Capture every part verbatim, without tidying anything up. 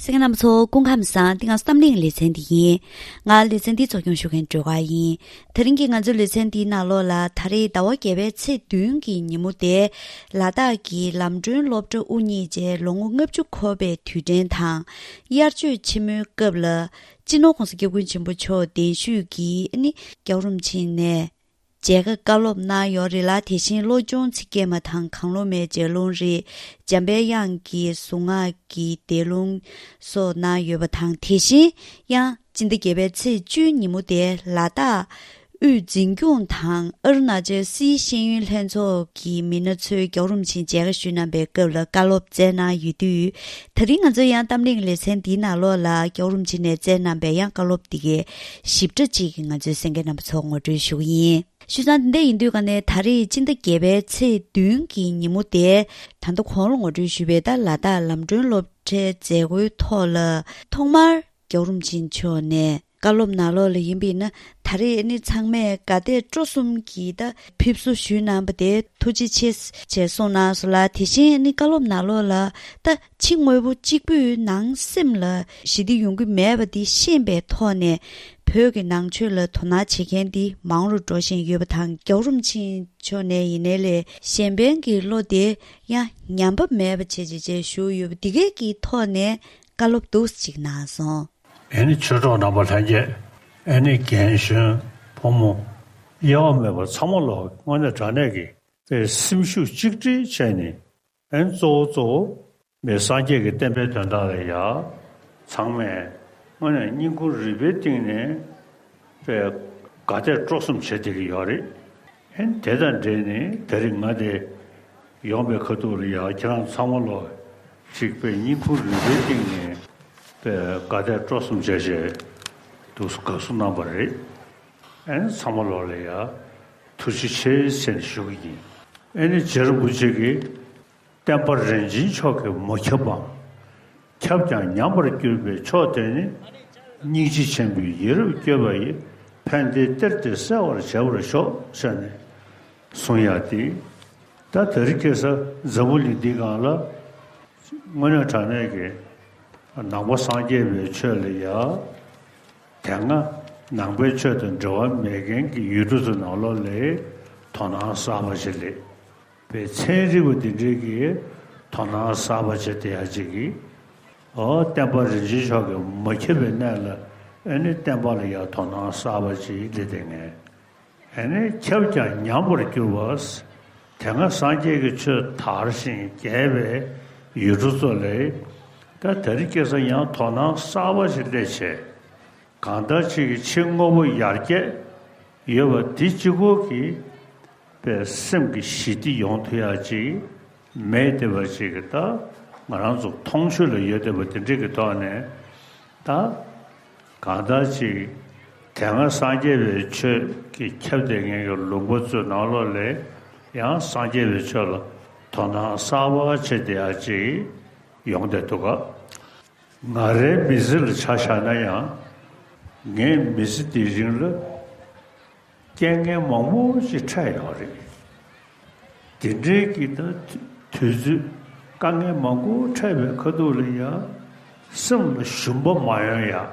གསན་མཁན་རྣམ་པ་ཚོ་སྐུ་ཁམས་བཟང་། འདི་ང་ཚོ་གཏམ་གླེང་ལེ་ཚན་འདི་ཡིན། ང་ལེ་ཚན་འདི་གཙོ་སྐྱོང་ཞུ་མཁན་སྒྲོལ་དཀར་ཡིན། དེ་རིང་གི་ང་ཚོའི་ལེ་ཚན་འདིའི་ནང་ལོགས་ལ་ད་རེས་ཟླ་བ་བརྒྱད་པའི་ཚེས་བདུན་གྱི་ཉིན་མོ་དེ་ལ་དྭགས་ཀྱི་ལམ་སྒྲོན་སློབ་གྲྭ་དབུ་བརྙེས་རྗེས་ལོ་ངོ་ལྔ་བཅུ་འཁོར་བའི་དུས་དྲན་དང་། དབྱར་ཆོས་ཆེན་མོའི་སྐབས་ལ་སྤྱི་ནོར་༸གོང་ས་༸སྐྱབས་མགོན་ཆེན་པོ་མཆོག་གདན་ཞུས་ཀྱིས་ཨ་ནི་རྒྱལ་བ་རིན་པོ་ཆེ་ནས་མཇལ་ཁ་བཀའ་སློབ་གནང་ཡོད་རེད་ལ། དེ་བཞིན་བློ་སྦྱོང་ཚིག་བརྒྱད་མ་དང་གང་བློ་མེད་ལྗགས་ལུང་རེད། འཇམ་པའི་དབྱངས་ཀྱི་གཟུངས་སྔགས་ཀྱི་བཟླས་ལུང་སོགས་གནང་ཡོད་པ་དང་། དེ་བཞིན་ཡང་སྤྱི་ཟླ་བརྒྱད་པའི་ཚེས་བཅུའི་ཉིན་མོ་དེ་ལ་དྭགས་དབུས་འཛིན་སྐྱོང་དང་ཨ་རུ་ན་ཅལ་སིའི་ཤེས་ཡོན་ལྷན་ཚོགས་ཀྱི་མི་སྣ་ཚོས་རྒྱལ་བ་རིན་པོ་ཆེ་མཇལ་ཁ་ཞུས་གནང་པའི་སྐབས་ལ་བཀའ་སློབ་སྩལ་གནང་ཡོད་དུས། ད་རིང་ང་ཚོའི་ཡང་གཏམ་གླེང་ལེ་ཚན་འདིའི་ནང་ལོགས་ལ་རྒྱལ་བ་རིན་པོ་ཆེ་ནས་སྩལ་གནང་པའི་ཡང་བཀའ་སློབ་འདི་གའི་ཞིབ་ཕྲ་ཅིག་ང་ཚོའི་གསན་མཁན་རྣམ་པ་ཚོར་ངོ་སྤྲོད་ཞུ་གི་ཡིན། བྱས་ཙང་འདི་འདྲ་ཡིན་དུས་ཀ་ནས་ད་རེས་སྤྱི་ཟླ་བརྒྱད་པའི་ཚེས་བདུན་གྱི་ཉིན་མོ་དེ། ད་ལྟ་གོང་ལ་ངོ་སྤྲོད་ཞུས་པའི་ད་ལ་དྭགས་ལམ་སྒྲོན་སློབ་གྲྭའི་མཛད་སྒོའི་ཐོག་ལ་ཐོག་མར་རྒྱལ་བ་རིན་པོ་ཆེ་མཆོག་ནས་བཀའ་སློབ་ནང་ལོགས་ལ་ཡིན་པས་ན། ད་རེས་ནི་ཚང་མས་དགའ་དད་སྤྲོ་གསུམ་གྱིས་ད་ཕེབས་བསུ་ཞུས་གནང་པ་དེ་ཐུགས་རྗེ་ཆེ་ཞེས་གསུངས་གནང་སོང་ལ། དེ་བཞིན་ནི་བཀའ་སློབ་ནང་ལོགས་ལ་ད་ཕྱི་དངོས་པོ་གཅིག་པུས་ནང་སེམས་ལ་ཞི་བདེ་ཡོང་གི་མེད་པ་འདི་ཤེས་པའི་ཐོག་ནས། བོད་ཀྱི་ནང་ཆོས་ལ་དོ་སྣང་བྱེད་མཁན་འདི་མང་རུ་འགྲོ་བཞིན་ཡོད་པ་དང་། རྒྱལ་བ་རིན་པོ་ཆེ་མཆོག་ནས་ཡིན་ནའི་ལས་གཞན་ཕན་གྱི་བློ་དེ་ཡང་ཉམས་པ་མེད་པ་བྱེད་ཅེས་བཅས་ཞུས་ཡོད་པ་འདི་གས་ཀྱི་ཐོག་ནས་བཀའ་སློབ་འདུག་ཅིག་གནང་སོང་། ཨེ་ནི་ཆོས་གྲོགས་རྣམ་པ་ལྷན་རྒྱས། ཨེ་ནི་རྒན་གཞོན་ཕོ་མོ་དབྱེ་བ་མེད་པར་ཚང་མ་ལོག་དངོས་གནས་དྲང་གནས་ཀྱི་པའི་སེམས་ཤུགས་གཅིག་སྒྲིལ་བྱས་ནས། ཨེ་ནི་གཙོ་བོ་གཙོ་བོ་མི་སངས་རྒྱས་ཀྱི་བསྟན་པའི་དོན་དག་ལ་ཡ་ཚང་མས་དངོས་གནས་སྙིང་ཁུང་རུས་པའི་གཏིང་ནས་པའི་དགའ་དད་སྤྲོ་གསུམ་བྱེད་བསྡད་ཀྱི་ཡོད་རེད། ཨེ་ནི་དེ་དང་འབྲེལ་ནས་དེ་རིང་ང་དེ་ཡོང་པའི་ཁ་ཐུག་ལ་ཡ་ཁྱེད་རང་ཚང་མ་ལོག་ཅིག་པའི་སྙིང་ཁུང་རུས་པའི་གཏིང་ནས་པའི་དགའ་དད་སྤྲོ་གསུམ་བྱས་བྱས་འདུག་དགའ་བསུ་གནང་པ་རེད། ཨེ་ནི་ཚང་མ་ལོག་ལ་ཡ་ཐུགས་རྗེ་ཆེ་ཟེར་ནས་ཞུ་གི་ཡིན། ཨེ་ནི་རྗེ་རིན་པོ་ཆེ་གིས་བསྟན་པ་རིན་ཆེན་མཆོག་གིས་མ་ཁྱབ་པའམ། ཁྱབ་ཀྱང་ཉམས་པར་གྱུར་པའི་ཕྱོགས་དེ་ནི། སྙིང་རྗེ་ཆེན་པོས་ཡིད་རབ་བསྐྱོད་པ་ཡི། ཕན་བདེའི་གཏེར་དེ་གསལ་བར་བྱེད་པར་ཤོག་ཟེར་ནས་གསུངས་ཡག་དེ། ད་དེ་རིང་ཁ་སང་འཛམ་བུ་གླིང་འདི་སྒང་ལ་དངོས་གནས་དྲང་གནས་ཀྱི་ནང་པ་སངས་རྒྱས་པའི་ཆོས་ལ་ཡ། དེ་སྔ་ནང་པའི་ཆོས་དང་འབྲེལ་བ་མེད་མཁན་གྱི་ཡུལ་གྲུ་ཚོ་ནང་ལོགས་ལ་དོ་སྣང་གསར་པ་ཞིག་སླེབས་པའི་ཚན་རིག་པ་འདི་འདྲའི་གི་དོ་སྣང་གསར་པ་བྱེད་བསྡད་ཡག་ཅིག་གིས། ཨོ་བསྟན་པ་རིན་ཆེན་མཆོག་གིས་མ་ཁྱབ་པའི་གནས་ལ་ཨེ་ནི་བསྟན་པ་ལ་ཡང་དོ་སྣང་གསར་པ་ཅིག་སླེབས་བསྡད་མཁན། ཨེ་ནི་ཁྱབ་ཀྱང་ཉམས་པར་གྱུར་པ། དེ་སྔ་སངས་རྒྱས་ཀྱི་ཆོས་དར་ཞིང་རྒྱས་པའི་ཡུལ་གྲུ་ཚོ་ལ། ད་དེ་རིང་ཁ་སང་ཡང་དོ་སྣང་གསར་པ་ཞིག་སླེབས་བྱས། གང་ལྟར་ཅིག་གི་ཕྱི་དངོས་པོ་ཡར་རྒྱས་ཡོད་པ་དེ་གཅིག་པོ་གིས་པའི་སེམས་ཀྱི་ཞི་བདེ་ཡོང་ཐུབ་ཡག་ཅིག་མེད་བསྡད་པ་ཅིག་གི་ད་ང་རང་ཚོ་མཐོང་ཆོས་ལ་ཡོད་བསྡད་པ་དེ་འདྲ་གི་ཐོག་ནས། ད་གང་ལྟར་ཅིག་དེ་སྔ་སངས་རྒྱས་པའི་ཆོས་ཀྱི་ཁྱབ་བསྡད་མཁན་གྱི་ལུང་པ་ཚོའི་ནང་ལོགས་ལ་ཡང་སངས་རྒྱས་པའི་ཆོས་ལ་དོ་སྣང་གསར་པ་བྱེད་བསྡད་ཡག་ཅིག་ཡོང་བསྡད་འདུག་ག། ང་རའི་མི་ཚེ་ལ་ཆ་བཞག་ན་ཡང་། ངའི་མི་ཚེ་འདིའི་རིང་ལ་རྐྱེན་ངན་མང་པོ་ཞིག་འཕྲད་ཡོད་རེད། དེ་འདྲའི་གི་ད་དུས་ཚོད་དཀའ་ངལ་མང་པོ་འཕྲད་པའི་ཁ་ཐུག་ལ་ཡང་སེམས་ལ་ཞུམ་པ་མ་ཡོང་ཡག་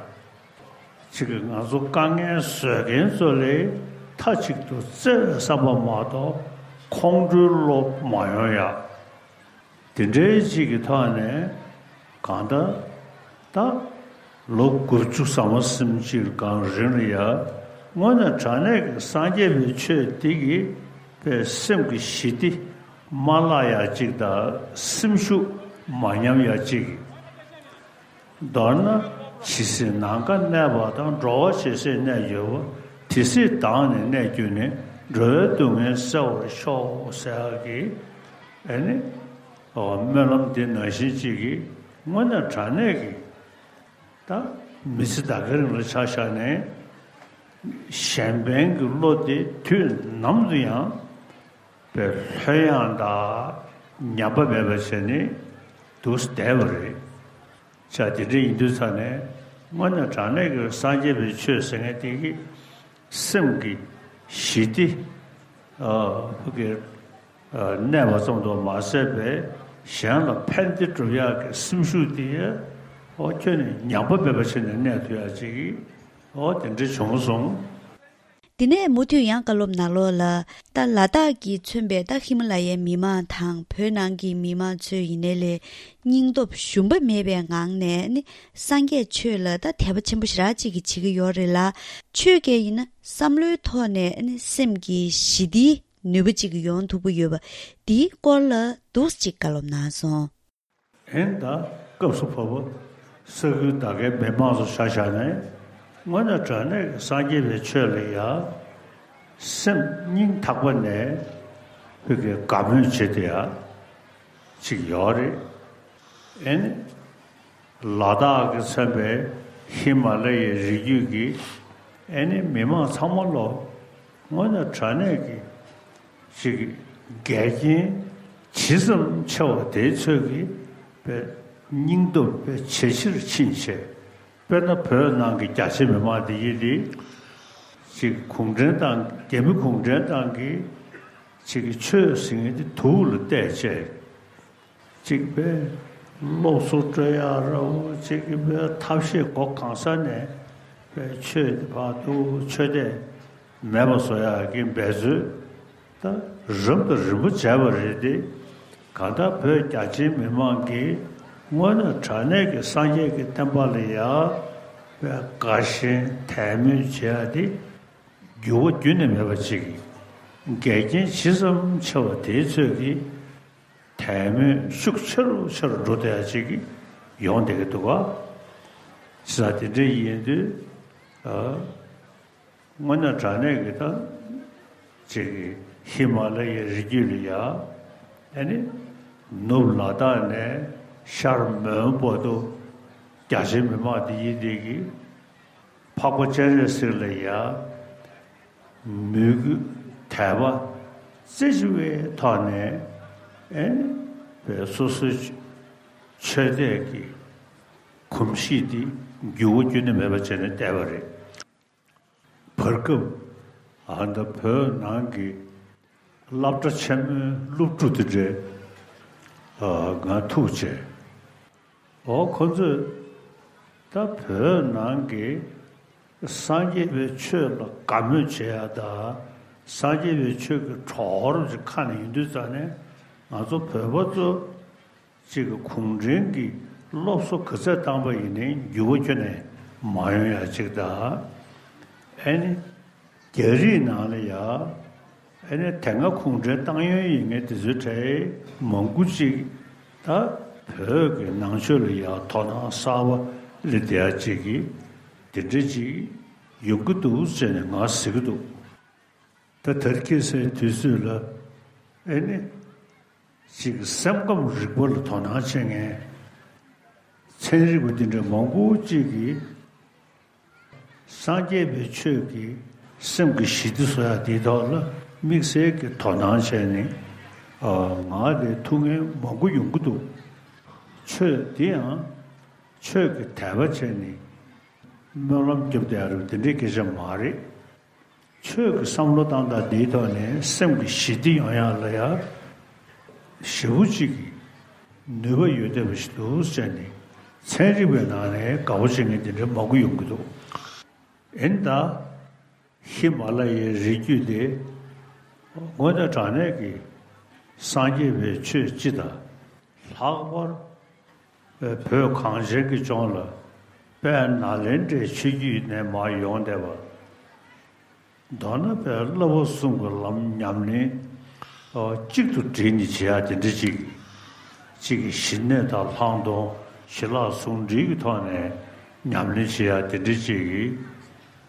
ཅིག་གི་ང་ཚོ་དཀའ་ངལ་བཟོད་མཁན་ཚོ་ལ་མཐའ་གཅིག་ཏུ་བརྩེ་བའི་བསམ་པ་མ་གཏོགས་ཁོང་ཁྲོའི་བློ་མ་ཡོང་ཡག་དེ་འདྲའི་ཅིག་གི་ཐོག་ནས་གང་ལྟར་ད་ལོ་དགུ་བཅུ་ཟ་མ་ཟིན་ཅིག་གང་རིང་ལ་ཡ་དངོས་གནས་དྲང་གནས་ཀྱི་སངས་རྒྱས་པའི་ཆོས་འདི་གིས་པའི་སེམས་ཀྱི་ཞི་བདེ་མ་བརླག་ཡག་ཅིག་དང་སེམས་ཤུགས་མ་ཉམས་ཡག་ཅིག་མདོར་ན་ཇི་སྲིད་ནམ་མཁའ་གནས་པ་དང་། འགྲོ་བ་ཇི་སྲིད་གནས་གྱུར་པ། དེ་སྲིད་བདག་ནི་གནས་གྱུར་ནས། འགྲོ་བའི་སྡུག་བསྔལ་སེལ་བར་ཤོག་ཟེར་ཡག་གི་ཨེ་ནི་སྨོན་ལམ་འདི་ནང་བཞིན་ཅིག་གིས་དངོས་གནས་དྲང་གནས་ཀྱི་ད་མི་ཚེ་ད་གའི་རིང་ལ་ཆ་བཞག་ནས་གཞན་ཕན་གྱི་བློ་དེ་དུས་ནམ་དུ་ཡང་པའི་ལྷོད་ཡངས་དང་ཉམས་པ་མེད་པ་བྱས་ནས་འདུག་བསྡད་པ་རེད། ཅག་དེ་འདྲ་ཡིན་དུས་ཙང་ནས་དངོས་གནས་དྲང་གནས་ཀྱི་སངས་རྒྱས་པའི་ཆོས་ཟེར་མཁན་དེ་གི་སེམས་ཀྱི་ཞི་བདེ་ཨ་ཕ་གི་ཨ་གནས་པ་ཙམ་དུ་མ་ཟད་པའི་གཞན་ལ་ཕན་བདེ་སྒྲུབ་ཡག་གི་སེམས་ཤུགས་དེ་ ཨོ་ཁྱོད་ནི་ཉམས་པ་མེད་པ་བྱས་ནས་གནས་ཐུབ་ཡ་ཅིག་གི་ཨོ་དེ་འདྲ་བྱུང་སོང་། དེ་ནས་མུ་མཐུད་ཡང་བཀའ་སློབ་ནང་ལོགས་ལ། ད་ལ་དྭགས་ཀྱིས་མཚོན་པའི་ད་ཧི་མ་ལ་ཡའི་མི་མང་དང་བོད་ནང་གི་མི་མང་ཚོས་ཡིན་ནའི་ལས་སྙིང་སྟོབས་ཞུམ་པ་མེད་པའི་ངང་ནས་ནི་སངས་རྒྱས་ཆོས་ལ་ད་དད་པ་ཆེན་པོ་ཞེ་དྲག་ཅིག་གིས་བྱེད་ཀྱི་ཡོད་རེད་ལ། ཆོས་ཀྱི་ཡིན་ན་བསམ་བློའི་ཐོག་ནས་ནི་སེམས་ཀྱི་ཞི་བདེའི་ནུས་པ་ཅིག་ཡོང་ཐུབ་ཀྱི་ཡོད་པ་འདིའི་སྐོར་ལ་འདུག་ཅིག་བཀའ་སློབ་གནང་སོང་། ཨེ་ད་སྐབས་སུ་བབ་པ་ས་ཁུལ་ད་གའི་མི་མང་ཚོ་ཆ་བཞག་ནས་དངོས་གནས་དྲང་གནས་ཀྱི་སངས་རྒྱས་པའི་ཆོས་ལ་ཡ་སེམས་སྙིང་ཐག་པ་ནས་བོད་ཀྱི་དགའ་མོས་བྱེད་དེ་ཡ་ཅིག་ཡོད་རེད། ཨེ་ནི་ལ་དྭགས་ཀྱི་མཚོན་པའི་ཧི་མ་ལ་ཡའི་རི་རྒྱུད་ཀྱི་ཨེ་ནི་མི་མང་ཚང་མ་ལོ་དངོས་གནས་དྲང་གནས་ཀྱི་ཅིག་འགལ་རྐྱེན་ཇི་ཙམ་ཆེ་བ་དེའི་ཚོད་ཀྱིས་པའི་སྙིང་སྟོབས་པའི་ཇེ་ཆེར་ཕྱིན་ཆེ། དཔེར་ན་བོད་ནང་གི་རྒྱ་ཆེ་མི་མང་འདི་ཡིན་ཏེ། ཅིག་གུང་ཁྲན་ཏང་རྒྱ་མི་གུང་ཁྲན་ཏང་གིས་ཅིག་ཆོས་ཟེར་མཁན་འདི་དུག་ལ་བལྟས་བྱས། གཅིག་པའི་སློབ་གསོ་སྤྲོད་ཡག་ར་བོ་གཅིག་གི་པའི་ཐབས་ཤེས་སྒོ་གང་ས་ནས་པའི་ཆོས་དེ་བར་དུ་ཆོས་དད་མེད་པ་བཟོ་ཡག་གི་འབད་རྩོལ་ད་རབ་དང་རིམ་པ་བྱས་པ་རེད་དེ། གང་ལྟར་བོད་རྒྱ་ཆེའི་མི་མང་གིས་དངོས་གནས་དྲང་གནས་ཀྱི་སངས་རྒྱས་ཀྱི་བསྟན་པ་ལ་ཡག་པའི་དགའ་ཞེན་དད་མོས་བྱེད་ཡག་དེ་འགྱུར་བ་རྒྱུན་ནས་མེད་པ་ཅིག་གི་འགལ་རྐྱེན་ཇི་ཙམ་ཆེ་བ་དེའི་ཚོད་ཀྱིས། དད་མོས་ཤུགས་ཆེ་རུ་ཆེ་རུ་འགྲོ་བསྡད་ཡ་ཅིག་ཡོང་བསྡད་ཀྱི་འདུག་ག་ཅི་ཟེར་དེ་འདྲ་ཡིན་དུས། ཨ། དངོས་གནས་དྲང་གནས་ཀྱི་ད་ཅིག་གི་ཧི་མ་ལ་ཡའི་རི་རྒྱུད་ལ་ཡ། ཨ་ནི་ནུབ་ལ་དྭགས་ནས་ཤར་མོན་བར་དུ་རྒྱ་ཆེའི་མི་མང་དེ་ཡིན་དེ་གི་འཕགས་པ་སྤྱན་རས་གཟིགས་ལ་ཡ། མོས་གུས་དད་པ་རྩེ་གཅིག་པའི་ཐོག་ནས་ཨེ་ནི་བའི་སོ་སོའི་ཆོས་དད་ཀྱི་གོམས་གཤིས་འདི་འགྱུར་བ་རྒྱུན་ནས་མེད་པ་བྱས་ནས་བསྡད་པ་རེད། བར་སྐབས་ཨ་ད་བོད་ནང་གི་སློབ་གྲྭ་ཆེན་མོའི་སློབ་ཕྲུག་དེ་འདྲས་ང་ཐུག་བྱས། འོ་ཁོ་ཚོས་ད་བོད་ནང་གི་སངས་རྒྱས་པའི་ཆོས་ལ་དགའ་མོས་བྱེད་ཡ་ད་སངས་རྒྱས་པའི་ཆོས་ཀྱི་གྲོགས་རོགས་ཀྱི་ཁ་ནས་ཡིན་དུས་ཙང་ནས་ང་ཚོ་བོད་པ་ཚོ་གཅིག་གི་གུང་ཁྲན་གྱི་སློབ་གསོ་ག་ཚད་བཏང་པ་ཡིན་ནའི་འགྱུར་བ་ཁྱོན་ནས་མ་ཡོང་ཡ་གཅིག་ད། ཨེ་ནི། རྒྱ་རིགས་ནང་ལ་ཡ། ཨེ་ནི་དེ་སྔ་གུང་ཁྲན་ཏང་ཡོན་ཡིན་མཁན་དེ་ཚོའི་གྲས་མང་པོ་ཅིག་ད་བོད་ཀྱི་ནང་ཆོས་ལ་ཡ་དོ་སྣང་གསར་པ་སླེབས་བསྡད་ཡ་ཅིག་གི་དེ་འདྲ་ཅིག་ཡོང་གི་འདུག་ཟེར་ནས་ང་ཟེར་གི་འདུག་ད་དེར་ཁེལ་སའི་དུས་ཚོད་ལ་ཨེ་ནི་ཅིག་སེམས་ཁམས་རིག་པ་ལ་དོ་སྣང་བྱེད་མཁན་ཚན་རིག་པ་འདི་འདྲ་མང་པོ་ཅིག་གིས། སངས་རྒྱས་པའི་ཆོས་ཀྱིས་སེམས་ཀྱི་ཞི་བདེ་བཟོ་ཡག་དེའི་ཐོག་ལ་དམིགས་བསལ་གྱི་དོ་སྣང་བྱས་ནས་ཨ་ང་ལ་ཐུགས་ངལ་མང་པོ་ཡོང་གི་འདུག་ཆོས་འདི་ཡང་ཆོས་ཀྱི་དད་པ་བྱས་ནས་སྨོན་ལམ་རྒྱབ་བསྡད་ཡག་རེད་པ། དེ་འདྲའི་སྐད་ཆ་མ་རེད། ཆོས་ཀྱི་བསམ་བློ་བཏང་སྟངས་འདིའི་ཐོག་ནས་སེམས་ཀྱི་ཞི་བདེ་ཡོང་ཡག་ལ་ཡ་ཞེ་པོ་ཅིག་གི་ནུས་པ་ཡོད་བསྡད་པ་ཞིག་འདུག་ཟེར་ནས་ཚན་རིག་པའི་ནང་ནས་དགའ་པོ་བྱེད་མཁན་དེ་འདྲ་མང་པོ་ཡོང་གི་འདུག་ཨེ་ནི་ད་ཧི་མ་ལ་ཡའི་རི་རྒྱུད་དེ་དངོས་གནས་དྲང་གནས་ཀྱི་སངས་རྒྱས་པའི་ཆོས་སྤྱི་དང་ལྷག་པར་བོད་གངས་ཅན་གྱི་ལྗོངས་ལ་དཔལ་ནཱ་ལེནྡྲའི་ཆོས་བརྒྱུད་ནས་མར་ཡོང་བསྡད་པ། མདོར་ན་དཔལ་བསླབ་པ་གསུམ་གྱི་ལམ་ཉམས་ལེན་གཅིག་ཏུ་བསྒྲིལ་ནས་བྱེད་ཡག་དེ་འདྲ་ཅིག་གཅིག་གི་ཞི་གནས་དང་ལྷག་མཐོང་ཞི་ལྷག་ཟུང་འབྲེལ་གྱི་ཐོག་ནས་ཉམས་ལེན་བྱེད་ཡག་དེ་འདྲ་ཅིག་གི་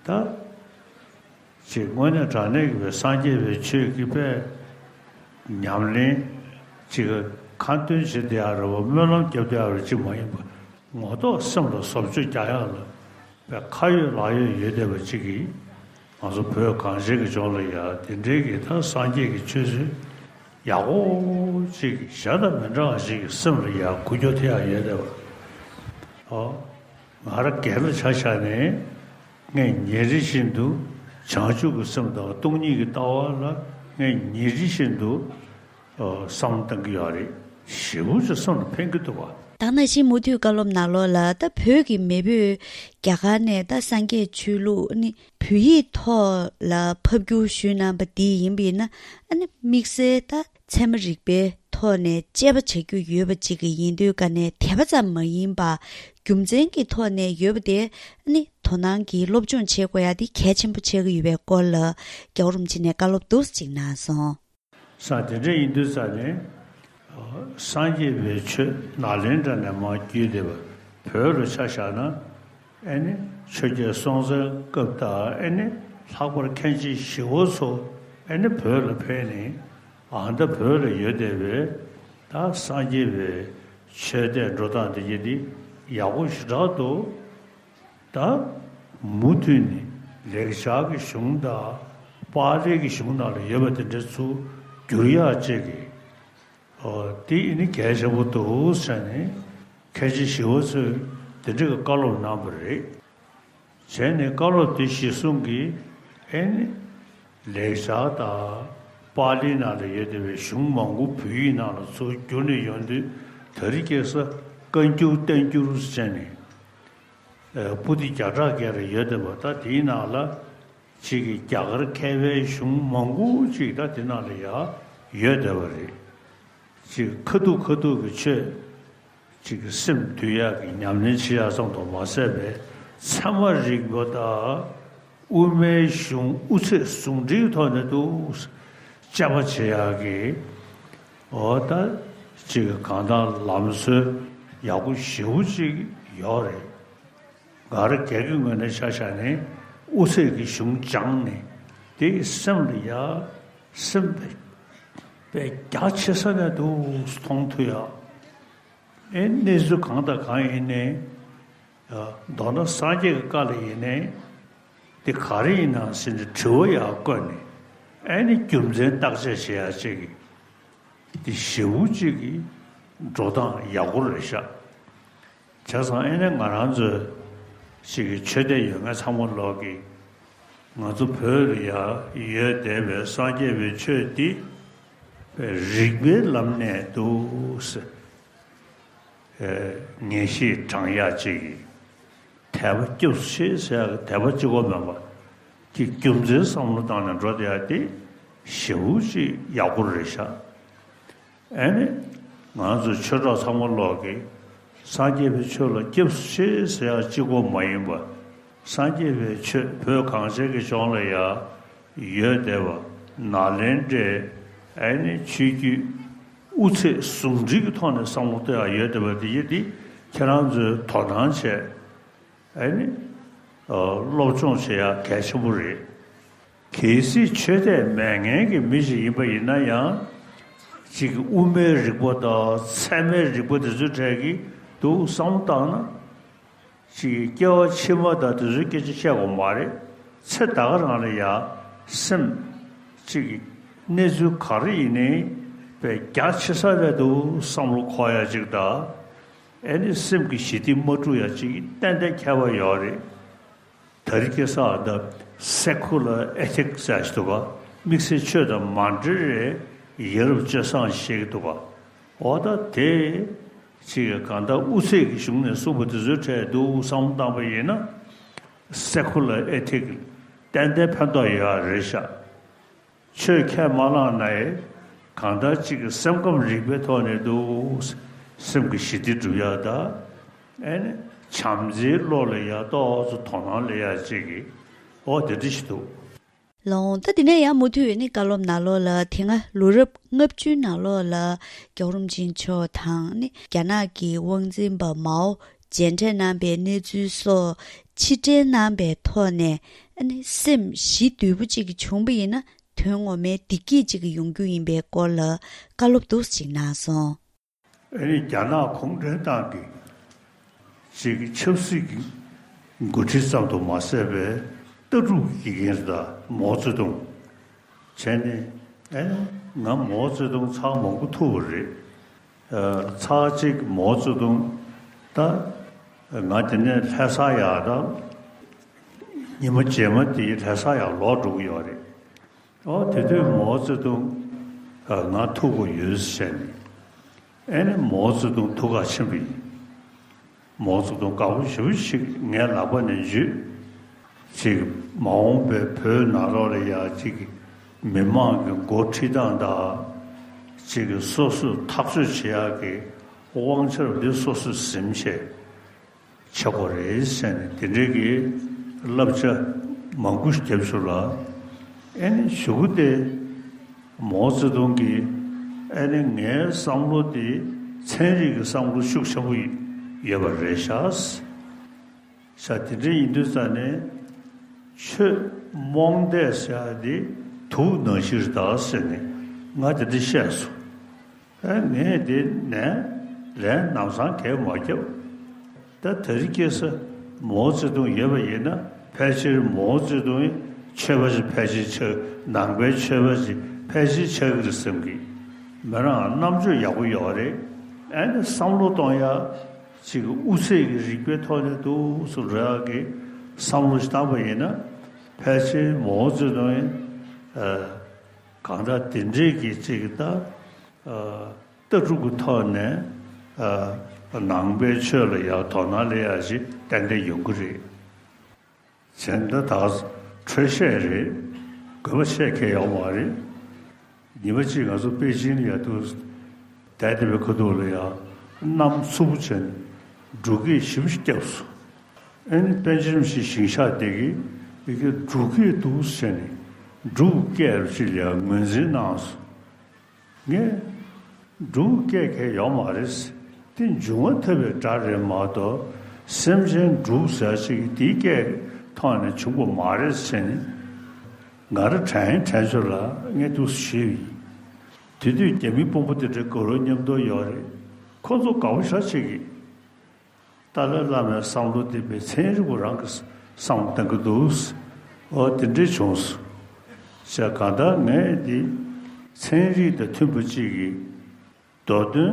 ད། ཅིག་དངོས་གནས་དྲང་གནས་ཀྱི་བའི་སངས་རྒྱས་པའི་ཆོས་ཀྱི་པའི་ཉམས་ལེན་ཅིག་ཁ་འདོན་བྱེད་བསྡད་ཡག་རེད་པ། སྨོན་ལམ་རྒྱབ་བསྡད་ཡག་རེད་ཅིག་མ་ཡིན་པ། ངོ་ཐོག་སེམས་ལ་བཟོ་བཅོས་རྒྱག་ཡག་ལ་པའི་ཁ་ཡོད་ལག་ཡོད་ཡོད་བསྡད་པ་ཅིག་གིས་ང་ཚོ་བོད་གངས་ཅན་གྱི་ལྗོངས་ལ་ཡ་དེ་འདྲའི་གི་ད་སངས་རྒྱས་ཀྱི་ཆོས་ཚུལ་ཡག་པོ་ཅིག་གཞན་དང་མི་འདྲ་བ་ཞིག་གི་སེམས་ལ་ཡ་འགུལ་སྐྱོད་ཐེབས་ཡག་ཡོད་བསྡད་པ། ཨོ། ང་རང་སྒེར་ལ་ཆ་བཞག་ནས་ངས་ཉིན་རེ་བཞིན་དུ་བྱང་ཆུབ་ཀྱི་སེམས་དང་སྟོང་ཉིད་ཀྱི་ལྟ་བ་ལ་ངས་ཉིན་རེ་བཞིན་དུ་ཨ་བསམ་བློ་གཏང་གི་ཡོད་རེད། ཞེ་པོ་ཅིག་སེམས་ལ་ཕན་གྱི་འདུག་བ། ད་ནང་བཞིན་མུ་མཐུད་བཀའ་སློབ་ནང་ལོགས་ལ། ད་བོད་ཀྱི་མེས་པོས་རྒྱ་གར་ནས་ད་སངས་རྒྱས་ཆོས་ལུགས་ནི་བོད་ཡིག་ཐོག་ལ་ཕབ་བསྒྱུར་ཞུས་གནང་པ་འདི་ཡིན་པ་ཡིན་ན། ཨ་ནི་དམིགས་བསལ་ད་ཚད་མ་རིག་པའི་ཐོག་ནས་དཔྱད་པ་བྱ་རྒྱུ་ཡོད་པ་ཅིག་གི་ཡིན་དུས་ཀ་ནས། དད་པ་ཙམ་མ་ཡིན་པར་རྒྱུ་མཚན་གྱི་ཐོག་ནས་ཡོད་པ་དེ་ཨ་ནི་དོ་སྣང་གིས་སློབ་སྦྱོང་བྱེད་དགོས་ཡ་དེ་གལ་ཆེན་པོ་ཆགས་ཀྱི་ཡོད་པའི་སྐོར་ལ་རྒྱལ་བ་རིན་པོ་ཆེ་ནས་བཀའ་སློབ་འདུག་སེ་ཅིག་གནང་སོང་། ས་དེ་འདྲ་ཡིན་དུས་ཙ་ནས། སངས་རྒྱས་པའི་ཆོས་ནཱ་ལེནྡྲ་ནས་མར་བརྒྱུད་དེ་བ་བོད་ལ་ཆ་བཞག་ན། ཨེ་ནི་ཆོས་རྒྱལ་སྲོང་བཙན་སྐབས་དང་། ཨེ་ནི་ལྷག་པར་མཁན་ཆེན་ཞི་བ་འཚོ་ཨེ་ནི་བོད་ལ་ཕེབས་ནས། ཨ་ད་བོད་ལ་ཡོད་བསྡད་པའི་ད་སངས་རྒྱས་པའི་ཆོས་དད་འགྲོ་སྟངས་དེ་གྱད་དེ་ཡག་པོ་ཞེ་དྲག་འདུག་ད་མུ་མཐུད་ནས་ལེགས་སྦྱར་གྱི་གཞུང་དང་པཱ་ལི་གི་གཞུང་ནང་ལ་ཡོད་པ་དེ་འདྲ་ཚུར་བསྒྱུར་ཡག་ཅིག་གི། ཨོ་དེ་ཨེ་ནི་གལ་ཆེན་པོ་འདུག་ཟེར་ནས་མཁན་ཆེན་ཞི་བ་འཚོས་དེ་འདྲ་གི་བཀའ་སློབ་གནང་བ་རེད། བྱས་ནས་བཀའ་སློབ་དེ་གཞིར་བཟུང་གིས་ཨེ་ནི་ལེགས་སྦྱར་དང་པཱ་ལི་ནང་ལ་ཡོད་བསྡད་པའི་གཞུང་མང་པོ་བོད་ཡིག་ནང་ལ་ཚུར་བསྒྱུར་ནས་ཡོང་དུས། དེ་རིང་ཁ་སང་བཀའ་འགྱུར་བསྟན་འགྱུར་ཟེར་ནས། ཨ་པོ་ཏི་བརྒྱ་ཕྲག་བརྒལ་ལ་ཡོད་བསྡད་པ། ད་དེའི་ནང་ལ་ཅིག་གི་རྒྱ་གར་མཁས་པའི་གཞུང་མང་པོ་ཅིག་ད་དེ་ནང་ལ་ཡང་ཡོད་བསྡད་པ་རེད། ཅིག་ཁ་ཐུག་ཁ་ཐུག་གི་ཆོས་ཅིག་གི་སེམས་འདུལ་ཡག་གི་ཉམས་ལེན་བྱེད་ཡག་ཙམ་དུ་མ་ཟད་པའི་ཚད་མ་རིག་པ་དང་། དབུ་མའི་གཞུང་དབུ་ཚད་ཟུང་འབྲེལ་གྱི་ཐོག་ནས་འདུག་དཔྱད་པ་བྱེད་ཡག་གི། འོ་ད་ཅིག་གང་ལྟར་ལམ་སྲོལ་ཡག་པོ་ཞེ་པོ་ཅིག་ཡོད་རེད། ང་རང་སྒེར་གྱི་ངོས་ནས་ཆ་བཞག་ནས་དབུ་ཚད་ཀྱི་གཞུང་སྦྱངས་ནས། དེ་སེམས་ལ་ཡ་སེམས་པའི་རྒྱ་ཆེ་ས་ནས་འདུག་མཐོང་ཐུབ་ཡ། ཨེ་གནས་ཚུལ་གང་དང་གང་ཡིན་ནའི། མདོར་ན་སངས་རྒྱས་ཀྱི་བཀའ་ལ་ཡིན་ནའི་དེ་ག་རེ་ཡིན་ནམ་ཟེར་ནས་དྲི་བ་ཡང་བཀོད་ནས། ཨེ་ནི་རྒྱུ་མཚན་བརྟག་དཔྱད་བྱེད་ཡ་ཅིག་གི་དེ་ཞེ་པོ་ཅིག་གི་འགྲོ་སྟངས་ཡག་པོ་རེད་ཤག་བྱས་ཙང་ཨེ་ནི་ང་རང་ཚོའི་ཅིག་གི་ཆོས་དད་ཡོད་མཁན་ཚང་མ་ལོག་གིས་ང་ཚོ་བོད་ལ་ཡ་ཡོད་བསྡད་པའི་སངས་རྒྱས་པའི་ཆོས་འདི་རིགས་པའི་ལམ་ནས་འདུག་ཟེར། ཨེ་ངེས་ཤེས་དྲང་ཡག་ཅིག་གི་དད་པ་སྐྱབས་སུ་མཆི་ཟེར་ཡག་གི་དད་པ་གཅིག་པོ་མིན་པ་གི་རྒྱུ་མཚན་བསམ་བློ་བཏང་ནས་འགྲོ་བསྡད་ཡག་དེ་ཞེ་པོ་ཅིག་ཡག་པོ་རེད་ཤག་ཨེ་ནི་ང་ཚོ་ཆོས་གྲོགས་ཚང་མ་ལོག་གིས་སངས་རྒྱས་པའི་ཆོས་ལ་སྐྱབས་སུ་མཆི་ཟེར་ཡག་གཅིག་པོ་མ་ཡིན་པ། སངས་རྒྱས་པའི་ཆོས་བོད་གངས་ཅན་གྱི་ལྗོངས་ལ་ཡ་ཡོད་བསྡད་པ། ནཱ་ལེནྡྲའི་ཨེ་ནི་ཆོས་བརྒྱུད་དབུ་ཚད་ཟུང་འབྲེལ་གྱི་ཐོག་ནས་བསམ་བློ་གཏོད་ཡག་ཡོད་བསྡད་པ་དེ་ཡིན་དེ་ཁྱེད་རང་ཚོས་དོ་སྣང་བྱས། ཨེ་ནི་ཨ་སློབ་སྦྱོང་བྱེད་ཡག་གལ་ཆེན་པོ་རེད། གལ་སྲིད་ཆོས་དད་མེད་མཁན་གྱི་མི་ཞིག་ཡིན་པ་ཡིན་ན་ཡང་། ཅིག་གི་དབུ་མའི་རིག་པ་དང་ཚད་མའི་རིག་པ་དེ་ཚོའི་གྲས་ཀྱི་འདུག་བསམ་བློ་བཏང་ན། ཅིག་གི་སྐྱེ་བ་ཕྱི་མ་དང་དེ་ཚོའི་སྐད་ཆ་བཤད་དགོས་མ་རེད། ཚེ་ད་ག་རང་ལ་ཡ་སེམས་ཅིག་གི་གནས་ཚུལ་ག་རེ་ཡིན་ནའི་དཔེ་རྒྱ་ཆེ་ས་རེད་འདུག་བསམ་བློ་འཁོར་ཡ་ཅིག་དང་། ཨེ་ནི་སེམས་ཀྱི་ཞི་བདེ་མ་འཁྲུག་ཡ་ཅིག་གི་ཏན་ཏན་ཁྱད་པར་ཡོད་རེད། དེ་རིང་ཁ་སང་ད་སེ་ཁུ་ལར་ཨེ་ཐིག་ཟེར་ཞིག་འདུག་ག་དམིགས་བསལ་ཆོས་དང་མ་འབྲེལ་བའི་ཡ་རབས་སྤྱོད་བཟང་ཞིག་འདུག་ག་འོ་ད་དེ་ཅིག་གང་ལྟར་དབུ་ཚད་ཀྱི་གཞུང་ནས་གསུངས་པ་དེ་ཚོའི་གྲས་འདུག་བསམ་བློ་བཏང་པ་ཡིན་ན། སེ་ཁུ་ལར་ཨེ་ཐིག་ཏན་ཏན་ཕན་ཐོགས་ཡོད་རེད་ཤག་ཆོས་ཁས་མ་བླངས་ན་ཡང་གང་ལྟར་གཅིག་གི་སེམས་ཁམས་རིག་པའི་ཐོག་ནས་འདུག་སེམས་ཀྱི་ཞི་བདེ་སྒྲུབ་ཡག་དང་། ཨེ་ནི་བྱམས་བརྩེའི་བློ་ལ་ཡ་ཏོག་ཙམ་དོ་སྣང་སླེབས་ཡག་ཅིག་གི་འོ་དེ་འདྲ་ཞིག་འདུག་ལགས་འོང་། ད་དེ་ནས་ཡང་མུ་མཐུད་ནས་བཀའ་སློབ་ནང་ལོགས་ལ། དེ་སྔ་ལོ་རབས་ལྔ་བཅུའི་ནང་ལོགས་ལ་རྒྱལ་བ་རིན་པོ་ཆེ་མཆོག་དང་ནི་རྒྱ་ནག་གི་དབང་འཛིན་པ་མའོ་མཇལ་འཕྲད་གནང་པའི་གནས་ཚུལ་སོགས་ཕྱིར་དྲན་གནང་པའི་ཐོག་ནས། ཨ་ནི་སེམས་ཞི་དུལ་པོ་གཅིག་བྱུང་པ་ཡིན་ན། དོན་ངོ་མའི་བདེ་སྐྱིད་ཅིག་ཡོང་རྒྱུ་ཡིན་པའི་སྐོར་ལ་བཀའ་སློབ་འདུག་སེ་ཅིག་གནང་སོང་། ཨ་ནི་རྒྱ་ནག་གུང་ཁྲན་ཏང་གི་ཅིག་ཆབ་སྲིད་ཀྱི་འགོ་ཁྲིད་ཙམ་དུ་མ་ཟད་པའི་ལྟ་གྲུབ་ཀྱི་དགེ་རྒན་རེད། ད་མའོ་ཙེ་ཏུང་བྱས་ནས། ཨ་ནི་ང་མའོ་ཙེ་ཏུང་ཚར་མང་པོ་ཐུག་པ་རེད། ཨ་ཚར་གཅིག་མའོ་ཙེ་ཏུང་ད་ང་དེ་ནས་ལྷ་ས་ཡར་ད་ཉི་མ་རྗེས་མ་དེ་ལྷ་ས་ཡར་ལོག་འགྲོ་གི་ཡོད་རེད། ཨོ་དེ་དུས་མའོ་ཙེ་ཏུང་ང་ཐུག་གི་ཡོད་ཟེར་ནས། ཨེ་ནི་མའོ་ཙེ་ཏུང་ཐུག་ག་ཕྱིན་པ་ཡིན། མའོ་ཙེ་ཏུང་དགའ་པོ་ཞེ་པོ་ཞིག་ངའི་ལག་པ་ནས་འཇུས། ཅིག་མ་འོངས་པའི་བོད་ནང་ལོགས་ལ་ཡ་ཅིག་མི་མང་གི་འགོ་ཁྲིད་སྟངས་དང་། ཅིག་སོ་སོས་ཐག་གཅོད་བྱེད་ཡག་གི་དབང་ཆ་འདི་སོ་སོས་ཟིན་བྱས་བྱེད་དགོས་རེད་ཟེར་ནས་དེ་འདྲའི་གི་བསླབ་བྱ་མང་པོ་ཞིག་བརྒྱབ་བྱུང་ལ། ཨེ་ནི་གཞུག་གུ་དེ་མའོ་ཙེ་ཏུང་གིས་ཨེ་ནི་ངའི་བསམ་བློ་དེ་ཚན་རིག་གི་བསམ་བློ་ཤུགས་ཆེན་པོ་ཡོད་པ་རེད་ཤག་ཤག་དེ་འདྲ་ཡིན་དུས་ཙ་ནས་ཆོས་རྨོངས་དད་ཟེར་ཡ་དེ་དུག་ནང་བཞིན་རེད་ད་ཟེར་ནས་ང་དེ་འདྲ་བཤད་སོང་། ཨ་ངས་དེ་ནས་ལན་ནམ་སང་གས་མ་བརྒྱབ། ད་དེ་རིང་ཁ་སང་མའོ་ཙེ་ཏུང་ཡོད་པ་ཡིན་ན་ཕལ་ཆེར་མའོ་ཙེ་ཏུང་ཡི་ཆོས་པ་ཞིག་ཕལ་ཆེར་ཆགས། ནང་པའི་ཆོས་པ་ཞིག་ཕལ་ཆེར་ཆགས་ཀྱི་རེད་བསམ་གི། མི་རང་རྣམ་དཔྱོད་ཡག་པོ་ཡོད་རེད། ཨ་ནི་བསམ་བློ་གཏོང་ཡ་ཅིག་དབུ་ཚད་ཀྱི་རིག་པའི་ཐོག་ནས་འདུག་སེ་འགྲོ་ཡག་གི་བསམ་བློ་ཞིག་བཏང་པ་ཡིན་ན་ཕལ་ཆེར་མའོ་ཙེ་ཏུང་ཡི་ཨ་གང་ལྟར་དེ་འདྲས་ཀྱི་ཅིག་ད། ཨ་ལྟ་གྲུབ་ཀྱི་ཐོག་ནས་ཨ་ནང་པའི་ཆོས་ལ་ཡང་དོ་སྣང་སླེབས་ཡ་ཞིག་ཏན་ཏན་ཡོང་གི་རེད། བྱས་ན་ད་འཕྲོས་བཤད་རེད། དགོས་པ་བཤད་མཁན་ཡོད་མ་རེད། ཉི་མ་གཅིག་ང་ཚོ་པེ་ཅིང་ལ་ཡ་འདུག་བསྡད་བསྡད་པའི་ཁ་ཐུག་ལ་ཡ་གནམ་འཚུབ་པོ་བྱས་ནས་འབྲུག་སྐད་ཞེ་པོ་ཞིག་བརྒྱབ་སོང་། ཨ་ནི་པཎ་ཆེན་རིན་པོ་ཆེའི་ཞིང་ཤག་དེ་གིས་ཡ་གི་འབྲུག་སྐད་འདུག་ཟེར་ནས་འབྲུག་སྐད་ཅིག་ལ་ཡ་ངོས་འཛིན་གནང་སོང་། ངས་འབྲུག་སྐད་མཁན་ཡོད་མ་རེད། དེ་འབྱུང་བ་ཐོབ་པའི་སྒྲ་རེད་མ་གཏོགས་སེམས་ཅན་འབྲུག་ཟེར་ཅིག་དེའི་སྐད་ཐོག་ནས་བྱུང་བ་མ་རེད་ཟེར་ནས་ང་རང་དྲན་དྲན་ཚོད་ལ་ངས་འདུག་སེ་ཞུས་ཡིན། དེ་དུས་རྒྱ་མི་དཔོན་པོ་དེ་འདྲ་དགའ་རབ་མཉམ་དུ་ཡོད་རེད། ཁོ་ཚོ་དགའ་པོ་ཞེ་དྲག་བྱེད་ཀྱི། ཏཱ་ལའི་བླ་མའི་བསམ་བློ་དེ་དཔེ་ཚན་རིག་པ་རང་གི་བསམ་བློ་གཏང་གི་འདུག་འོ་དེ་འདྲས་བྱུང་སོང་། བྱས་གང་ལྟར་ངས་འདི་ཚན་རིག་དང་མཐུན་པ་གཅིག་གིས་མདོ་དོན་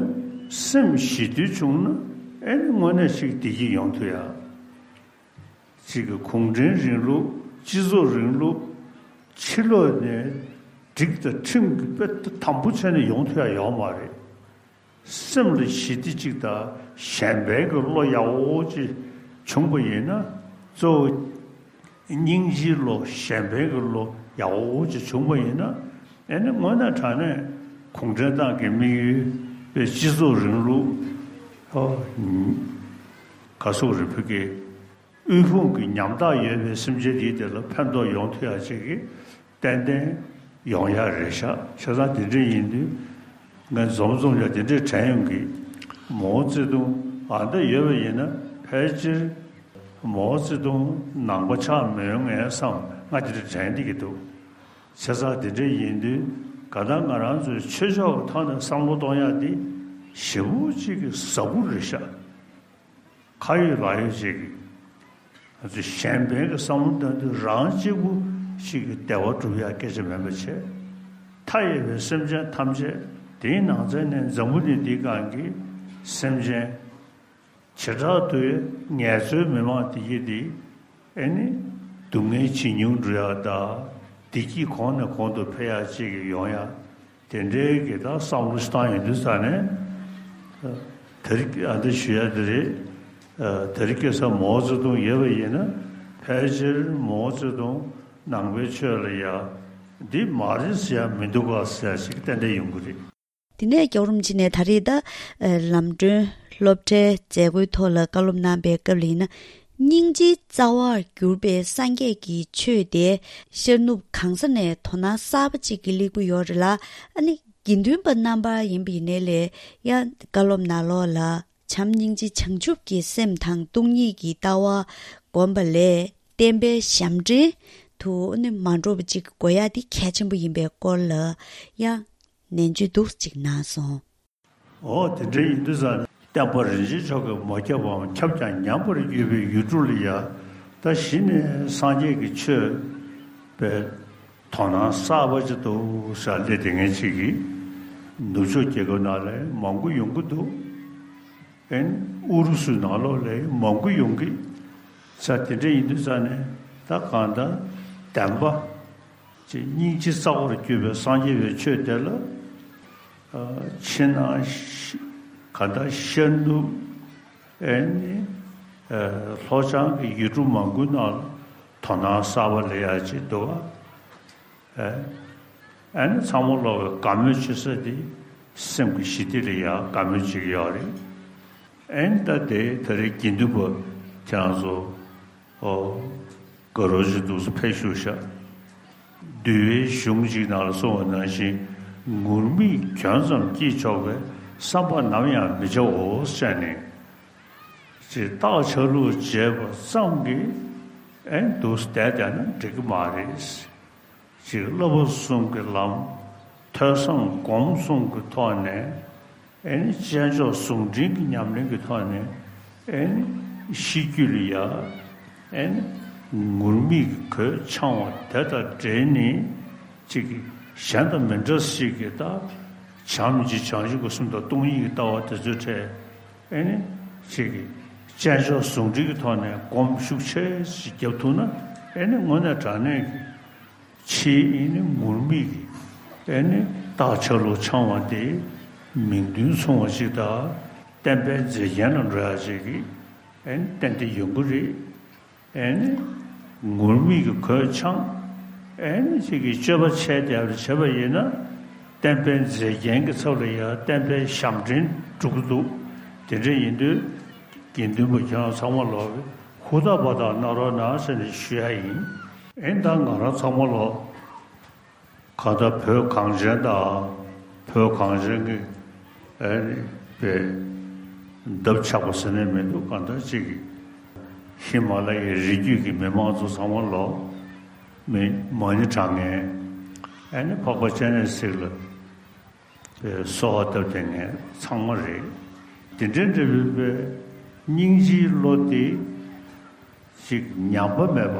སེམས་ཞི་དུལ་བྱུང་ན་ཨེ་ནི་དངོས་གནས་ཤིག་བདེ་སྐྱིད་ཡོང་ཐུབ་ཡ། གཅིག་གི་གུང་ཁྲན་རིང་ལུགས་སྤྱི་ཚོགས་རིང་ལུགས་ཕྱི་ལོགས་ནས་སྒྲིག་དང་ཁྲིམས་ཀྱི་དཔེ་དམ་པོ་བྱས་ནས་ཡོང་ཐུབ་ཡ་ཡོད་མ་རེད། སེམས་ལ་ཞི་བདེ་གཅིག་དང་གཞན་ཕན་གྱི་བློ་ཡག་པོ་ཅིག་བྱུང་པ་ཡིན་ན། གཙོ་བོ་སྙིང་རྗེའི་བློ་གཞན་ཕན་གྱི་བློ་ཡག་པོ་ཅིག་བྱུང་པ་ཡིན་ན། ཨེ་ནི་དངོས་གནས་དྲང་གནས་གུང་ཁྲན་ཏང་གི་དམིགས་ཡུལ་དཔེ་སྤྱི་ཚོགས་རིང་ལུགས་ཨོ་ག་སོགས་རེད་བོད་ཀྱི་དབུལ་ཕོངས་ཀྱི་ཉམ་ཐག་ཡོད་པའི་སེམས་ཅན་དེའི་དེ་ལ་ཕན་ཐོགས་ཡོང་ཐུབ་ཡ་ཅིག་གི་ཏན་ཏན་ཡོང་ཡ་རེད་ཤག་བྱས་ཙང་དེ་འདྲ་ཡིན་དུས་ངས་འཛོམས་འཛོམས་ཡ་དེ་འདྲས་དྲན་ཡོང་གི། མའོ་ཙེ་ཏུང་ཨ་འདྲ་ཡོད་པ་ཡིན་ན་ཕལ་ཆེར་མའོ་ཙེ་ཏུང་ནང་པ་ཆགས་མི་ཡོང་ངས་བསམ་ང་དེ་འདྲ་དྲན་བསྡད་ཀྱི་འདུག་བྱས་ཙང་དེ་འདྲས་ཡིན་དུས་ག་ད་ང་རང་ཚོའི་ཆོས་ཕྱོགས་ཀྱི་ཐོག་ནས་བསམ་བློ་གཏོང་ཡ་དེ་ཞེ་པོ་ཅིག་གི་ཟབ་པོ་རེད་ཤག་ཁ་ཡོད་ལག་ཡོད་ཅིག་གིས་ང་ཚོས་གཞན་ཕན་གྱི་བསམ་བློ་གཏོང་དུས་རང་གཅིག་པུ་ཞིག་གི་བདེ་བ་སྒྲུབ་ཡ་སྐད་ཆ་མིན་པ་བྱས། མཐའ་ཡས་པའི་སེམས་ཅན་ཐམས་ཅད་དེའི་ནང་ཚན་ནས་འཛམ་བུ་གླིང་འདིའི་སྒང་གི་སེམས་ཅན་བྱེ་བྲག་ཏུའི་ངལ་རྩོལ་མི་མང་དེ་གྱིས་དེ་ཨེ་ནི་སྡུག་བསྔལ་ཇེ་ཉུང་འགྲོ་ཡ་དང་བདེ་སྐྱིད་གོང་ནས་གོང་དུ་འཕེལ་ཡ་ཅིག་གི་ཡོང་ཡ། དེ་འདྲའི་གི་ད་བསམ་བློ་ཞིག་བཏང་ཡོང་དུས་ཙ་ནས། དེ་རིང་ཨ་འདི་ཞུ་ཡ་དེ་རེད། དེ་རིང་ཁ་སང་མའོ་ཙེ་ཏུང་ཡོད་པ་ཡིན་ན་ཕལ་ཆེར་མའོ་ཙེ་ཏུང་ནང་པའི་ཆོས་ལ་ཡ་འདི་མ་རེད་ཟེར་ཡ་མི་འདུག་ག་ཟེར་ཡ་ཞིག་ཏན་ཏན་ཡོང་གི་རེད། དེ་ནས་རྒྱལ་བ་རིན་པོ་ཆེ་ནས་ད་རེས་ད་ལམ་གྲོན་སློབ་གྲྭའི་མཛད་སྒོའི་ཐོག་ལ་བཀའ་སློབ་གནང་པའི་སྐབས་ལ་ཡིན་ན། སྙིང་རྗེའི་རྩ་བར་གྱུར་པའི་སངས་རྒྱས་ཀྱི་ཆོས་དེ་ཤར་ནུབ་གང་ས་ནས་དོ་སྣང་གསར་པ་ཅིག་གི་སླེབས་ཀྱི་ཡོད་རེད་ལ། ཨ་ནི་དགེ་འདུན་པ་རྣམ་པ་ཡིན་པ་ཡིན་ནའི་ལས་ཡང་བཀའ་སློབ་ནང་ལོགས་ལ་བྱམས་སྙིང་རྗེ་བྱང་ཆུབ་ཀྱི་སེམས་དང་སྟོང་ཉིད་ཀྱི་ལྟ་བ་བསྒོམ་པ་ལས་བསྟན་པའི་ཞབས་འདྲེན་དུ་ཨ་ནི་མ་འགྲོ་བ་ཅིག་དགོས་ཡ་དེ་གལ་ཆེན་པོ་ཡིན་པའི་སྐོར་ལ་ཡང་ནན་བརྗོད་འདུག་ཅིག་གནང་སོང་། འོ་དེ་འདྲ་ཡིན་དུས་ཙང་ནས་བསྟན་པ་རིན་ཆེན་མཆོག་གིས་མ་ཁྱབ་པའམ་ཁྱབ་ཀྱང་ཉམས་པར་གྱུར་པའི་ཡུལ་གྲུ་ལ་ཡ་ད་གཞི་ནས་སངས་རྒྱས་ཀྱི་ཆོས་པའི་དོ་སྣང་གསར་པ་ཅིག་འདུག་ཟེར་སླེབས་བསྡད་མཁན་ཅིག་གིས་ནུབ་ཕྱོགས་རྒྱལ་ཁབ་ནང་ལ་མང་པོ་ཡོང་གི་འདུག་ཨེ་ཨུ་རུ་སུའི་ནང་ལོགས་ལ་མང་པོ་ཡོང་གི། ས་དེ་འདྲ་ཡིན་དུས་ཙང་ནས་ད་གང་ལྟར་བདེན་པ། ཅེས་སྙིང་རྗེ་རྩ་བར་གྱུར་པའི་སངས་རྒྱས་པའི་ཆོས་དེ་ལ། ཕྱི་ནང་ག་ད་ཤར་ནུབ་ཨེ་ནི་ ལྷོ་བྱང་གི་ཡུལ་གྲུ་མང་པོའི་ནང་ལ་དོ་སྣང་གསར་པ་སླེབས་ཡག་ཅིག་འདུག་ག་ཨ་ནི་ཚང་མ་ལོག་གི་དགའ་མོས་བྱེད་ས་དེ་སེམས་ཀྱི་ཞི་བདེ་ལ་ཡག་དགའ་མོས་བྱེད་ཀྱི་ཡོད་རེད། ཨ་ནི་ད་དེ་ད་རེས་དགེ་འདུན་པ་ཁྱེད་རང་ཚོ་ཨོ། དགའ་རབ་ཅིག་འདུག་སེ་ཕེབས་བཞུགས་ཤག་འདུལ་བའི་གཞུང་གཅིག་ནང་ལ་གསུངས་པ་ནང་བཞིན་ངུར་སྨྲིག་གྱོན་ཙམ་སྐྱེས་ཆོག་པའི་བསམ་པ་ནམ་ཡང་མི་བྱའོ་ཟེར་ནས། ཅེས་རྟགས་ཆ་ལུགས་བྱས་པ་ཙམ་གྱིས་ཨེ་འདུག་སེ་བསྡད་བསྡད་ན་འགྲིག་གི་མ་རེད། ཅེས་བསླབ་པ་གསུམ་གྱི་ལམ། ཐོས་བསམ་སྒོམ་གསུམ་གྱི་ཐོག་ནས་ཨེ་ནི་དཔྱད་འཇོག་ཟུང་འབྲེལ་གྱི་ཉམས་ལེན་གྱི་ཐོག་ནས་ཨེ་ནི་ཤེས་རྒྱུད་ལ་ཡ་ཨེ་ནི་ངུར་སྨྲིག་གི་གོས་འཆང་བ་དེ་དང་འབྲེལ་ནས་ཅིག་གི་གཞན་དང་མི་འདྲ་ཞིག་གི་ད་བྱམས་ཀྱི་བྱང་ཆུབ་ཀྱི་སེམས་དང་སྟོང་ཉིད་ཀྱི་ལྟ་བ་དེ་ཚོའི་གྲས་ཨེ་ནི་ཅིག་གི་དཔྱད་འཇོག་ཟུང་འབྲེལ་གྱི་ཐོག་ནས་སྒོམ་ཤུགས་ཆེ་ཞིག་རྒྱབ་ཐུབ་ན་ཨེ་ནི་དངོས་གནས་དྲང་གནས་ཀྱི་ཕྱིའི་ཨེ་ནི་ངུར་སྨྲིག་གི་ཨེ་ནི་རྟགས་ཆ་ལུགས་འཆང་བ་དེ་མིང་དོན་མཚུངས་པ་ཞིག་དང་བསྟན་པའི་མཛེས་རྒྱན་ལ་འགྲོ་ཡག་ཅིག་གི་ཨེ་ནི་ཏན་ཏན་ཡོང་གི་རེད། ཨེ་ནི་ངུར་སྨྲིག་གི་གོས་འཆང་ཨེ་ནི་ཅིག་གི་སྤྱོད་པ་ཆེ་བསྡད་པ་བྱས་པ་ཡིན་ན་བསྟན་པའི་མཛེས་རྒྱན་གྱི་ཚབ་ལ་ཡང་བསྟན་པའི་ཞབས་འདྲེན་འགྲོ་གི་འདུག་དེ་འདྲ་ཡིན་དུས་དགེ་འདུན་པ་ཁྱེད་རང་ཚང་མ་ལོག་གི་ཧུར་ཐག་པ་དང་གནང་རོགས་གནང་ཟེར་ནས་ཞུ་ཡ་ཡིན། ཨེ་ད་ང་རང་ཚང་མ་ལོག་གང་ལྟར་བོད་གངས་ཅན་དང་བོད་གངས་ཅན་གྱི་ཨེ་པའི་འདབས་ཆགས་པ་ཟེར་ནས་མི་འདུག་གང་ལྟར་གཅིག་གི་ཧི་མ་ལ་ཡའི་རི་རྒྱུད་ཀྱི་མི་མང་ཚོ་ཚང་མ་ལོག་མི་མ་ཎི་བགྲང་མཁན་ཨེ་ནི་འཕགས་པ་སྤྱན་རས་གཟིགས་ལ་པའི་གསོལ་བ་བཏབ་བསྡད་མཁན་ཚང་མ་རེད། དེ་འདྲའི་འདྲ་བའི་པའི་སྙིང་རྗེའི་བློ་དེ་ཅིག་ཉམས་པ་མེད་པ།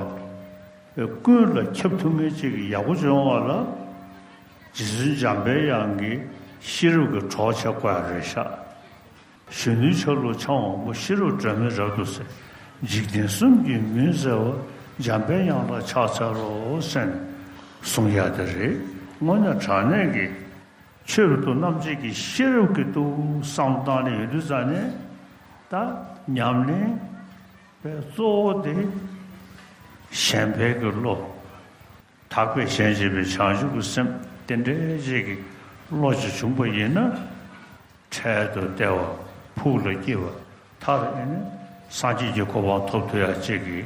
པའི་ཀུན་ལ་ཁྱབ་ཐུབ་མཁན་ཅིག་ཡག་པོ་བྱུང་བ་ལ། རྗེ་བཙུན་འཇམ་པའི་དབྱངས་ཀྱི་ཤེས་རབ་ཀྱི་གྲོགས་བྱེད་དགོས་ཡ་རེད་ཤག་གཞོན་ནུའི་ཆ་ལུགས་འཆང་བ་པོ་ཤེས་རབ་སྒྲོན་མེ་རབ་ཏུ་གསལ། འཇིག་རྟེན་གསུམ་གྱི་མུན་སེལ་བ། འཇམ་པའི་དབྱངས་ལ་ཕྱག་འཚལ་ལོ་ཟེར་ནས་གསུང་ཡ་དེ་རེད། དངོས་གནས་དྲང་གནས་ཀྱི་ཆོས་རབ་ཏུ་རྣམ་འབྱེད་ཀྱི་ཤེས་རབ་ཀྱི་ཏུ་བསམ་བཏང་ནས་ཡོད་དུས་ཙང་ནས་ད་ཉམས་ལེན་པའི་གཙོ་བོ་དེ་གཞན་ཕན་གྱི་བློ། དག་པས་གཞན་གཅེས་པའི་བྱང་ཆུབ་ཀྱི་སེམས་དེ་འདྲའི་ཅིག་གི་བློ་ཅིག་བྱུང་པ་ཡིན་ན། འཕྲལ་དུ་བདེ་བ་ཕུགས་ལ་སྐྱེ་བ་མཐར་ཨེ་ནི་སངས་རྒྱས་ཀྱི་གོ་འཕང་ཐོབ་ཐུབ་ཡ་ཅིག་གི་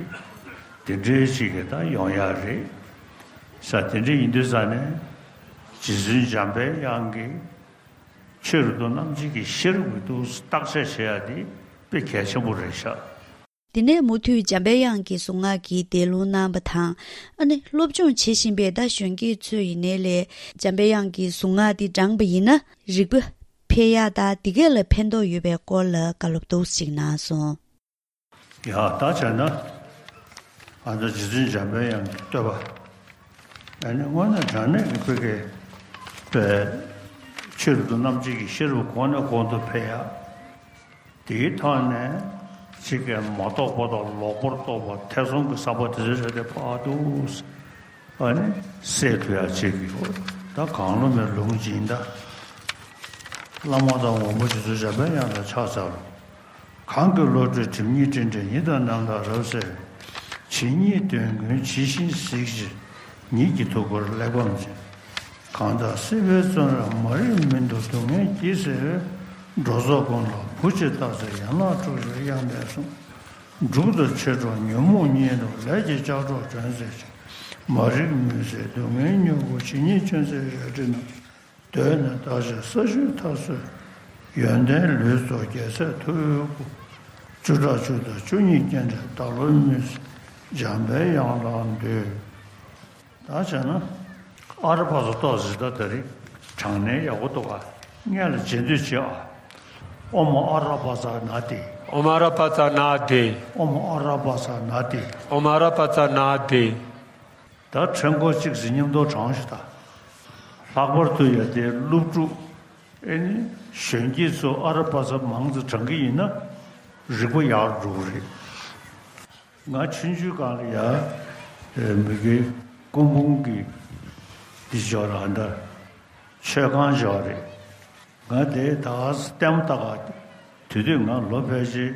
དེ་འདྲའི་ཅིག་གི་ད་ཡོང་ཡ་རེད་ས། དེ་འདྲ་ཡིན་དུས་ཙང་ནས་རྗེ་བཙུན་འཇམ་པའི་དབྱངས་ཀྱི་ཆོས་རབ་ཏུ་རྣམ་འབྱེད་ཀྱི་ཤེས་རབ་ཀྱི་ཏུ་བརྟག་དཔྱད་བྱེད་ཡ་དེ་དཔེ་གལ་ཆེན་པོ་རེད་ཤག་དེ་ནས་མུ་མཐུད་འཇམ་པའི་དབྱངས་ཀྱི་གཟུངས་སྔགས་ཀྱི་འདོན་ལུང་གནང་བ་དང་། ཨ་ནི་སློབ་སྦྱོང་བྱེད་བཞིན་པའི་ད་གཞོན་སྐྱེས་ཚོ་ཡིན་ནའི་ལས་འཇམ་པའི་དབྱངས་ཀྱི་གཟུངས་སྔགས་འདི་བགྲངས་པ་ཡིན་ན་རིག་པ་འཕེལ་ཡག་དང་འདི་གས་ལ་ཕན་ཐོགས་ཡོད་པའི་སྐོར་ལ་བཀའ་སློབ་ཏོག་ཙམ་གནང་སོང་། ཡ་ད་བྱས་ན་ཨ་ད་རྗེ་བཙུན་འཇམ་པའི་དབྱངས་ཀྱི་བསྟོད་པ། ཨ་ནི་དངོས་གནས་དྲང་གནས་ཀྱི་ཕ་གི་པའི་ཆོས་རབ་ཏུ་རྣམ་འབྱེད་ཀྱི་ཤེས་རབ་གོང་ནས་གོང་དུ་འཕེལ་ཡག་དེའི་ཐོག་ནས་ཅིག་གི་མ་རྟོགས་པ་དང་ལོག་པར་རྟོག་པ་ཐེ་ཚོམ་གྱི་ཟག་པ་དེ་ཚོའི་རེ་དེ་ཕར་འདུག་ཨ་ནི་སེལ་ཐུབ་ཡག་ཅིག་གི་ད་གང་བློ་མེད་ལུང་སྦྱིན་ད་བླ་མ་དང་འོ་མ་རྗེ་བཙུན་འཇམ་པའི་དབྱངས་ལ་ཕྱག་འཚལ་ལོ། གང་གི་བློ་གྲོས་སྒྲིབ་གཉིས་སྤྲིན་བྲལ་ཉིད་དང་ནམ་མཁའ་རབ་གསལ་བའི། ཇི་སྙེད་དོན་ཀུན་ཇི་བཞིན་གཟིགས་ཕྱིར་ཉིད་ཀྱི་ཐུགས་ཀར་གླེགས་བམ་འཛིན། གང་དག་སྲིད་པའི་བཙོན་རར་མ་རིག་མུན་དུ་སྡུག་བསྔལ་གྱིས་གཟིར་བའི། འགྲོ་ཚོགས་ཀུན་ལ་བུ་གཅིག་བརྟག་འཚལ་ཡན་ལག་དྲུག་ཅུའི་དབྱངས་ལྡན་གསུང་། སྒྲུབ་ཏུ་ཆེར་སྤྲོ་ཉོན་མོངས་གཉིད་ལོག་ལས་ཀྱི་ལྕགས་སྒྲོག་གྱོན་སྲེག་ཅིང་། མ་རིག་མུན་སེལ་སྡུག་བསྔལ་མྱུ་གུ་ཇི་སྙེད་ཅུང་ཟད་ཡོད་དྲི་རྣམས། གདོད་ནས་དག་ཕྱིར་ས་བཅུའི་མཐའ་སྲོལ། ཡོན་ཏན་ལུས་རྫོགས་རྒྱལ་སྲས་ཐུ་བོའི་སྐུ། བཅུ་ཕྲག་བཅུ་དང་བཅུ་གཉིས་སྐྱེ་འབྲས་བདག་བློའི་མུན་སེལ་འཇམ་པའི་དབྱངས་ལ་འདུད། ད་བྱས་ན་ཨ་ར་པ་ཙ་ཏོག་ཙི་ད་ད་རེས་དྲང་གནས་ཡག་པོ་འདུག་ག་སྔོན་ལ་བྱེད་འདོད་བྱེད་ཨ། ཨོཾ་ཨ་ར་པ་ཙ་ན་དེ། ཨོཾ་ཨ་ར་པ་ཙ་ན་དེ། ཨོཾ་ཨ་ར་པ་ཙ་ན་དེ། ཨོཾ་ཨ་ར་པ་ཙ་ན་དེ། ད་ཕྲེང་སྐོར་གཅིག་ཟིན་མཉམ་དུ་བགྲང་ཞིག་ད། ལྷག་པར་དུ་ཡ་དེ་སློབ་ཕྲུག་ཨེ་ནི་གཞོན་སྐྱེས་ཚོ་ཨ་ར་པ་ཙ་མང་ཙམ་བགྲང་གི་ཡིན་ན་རིག་པ་ཡག་འགྲོ་གི་རེད། ང་ཆུང་ཆུང་སྒང་ལ་ཡ་མི་དགེ་སྐུ་འབུམ་གྱི་འདི་ཅོག་ལ་ཨ་འདྲ་མཆོད་ཁང་ཅོག་རེད། ང་དེ་ད་ལྟད་མོ་ལྟ་ག་དུས་དུས་ང་ལོ་ཕལ་ཆེར་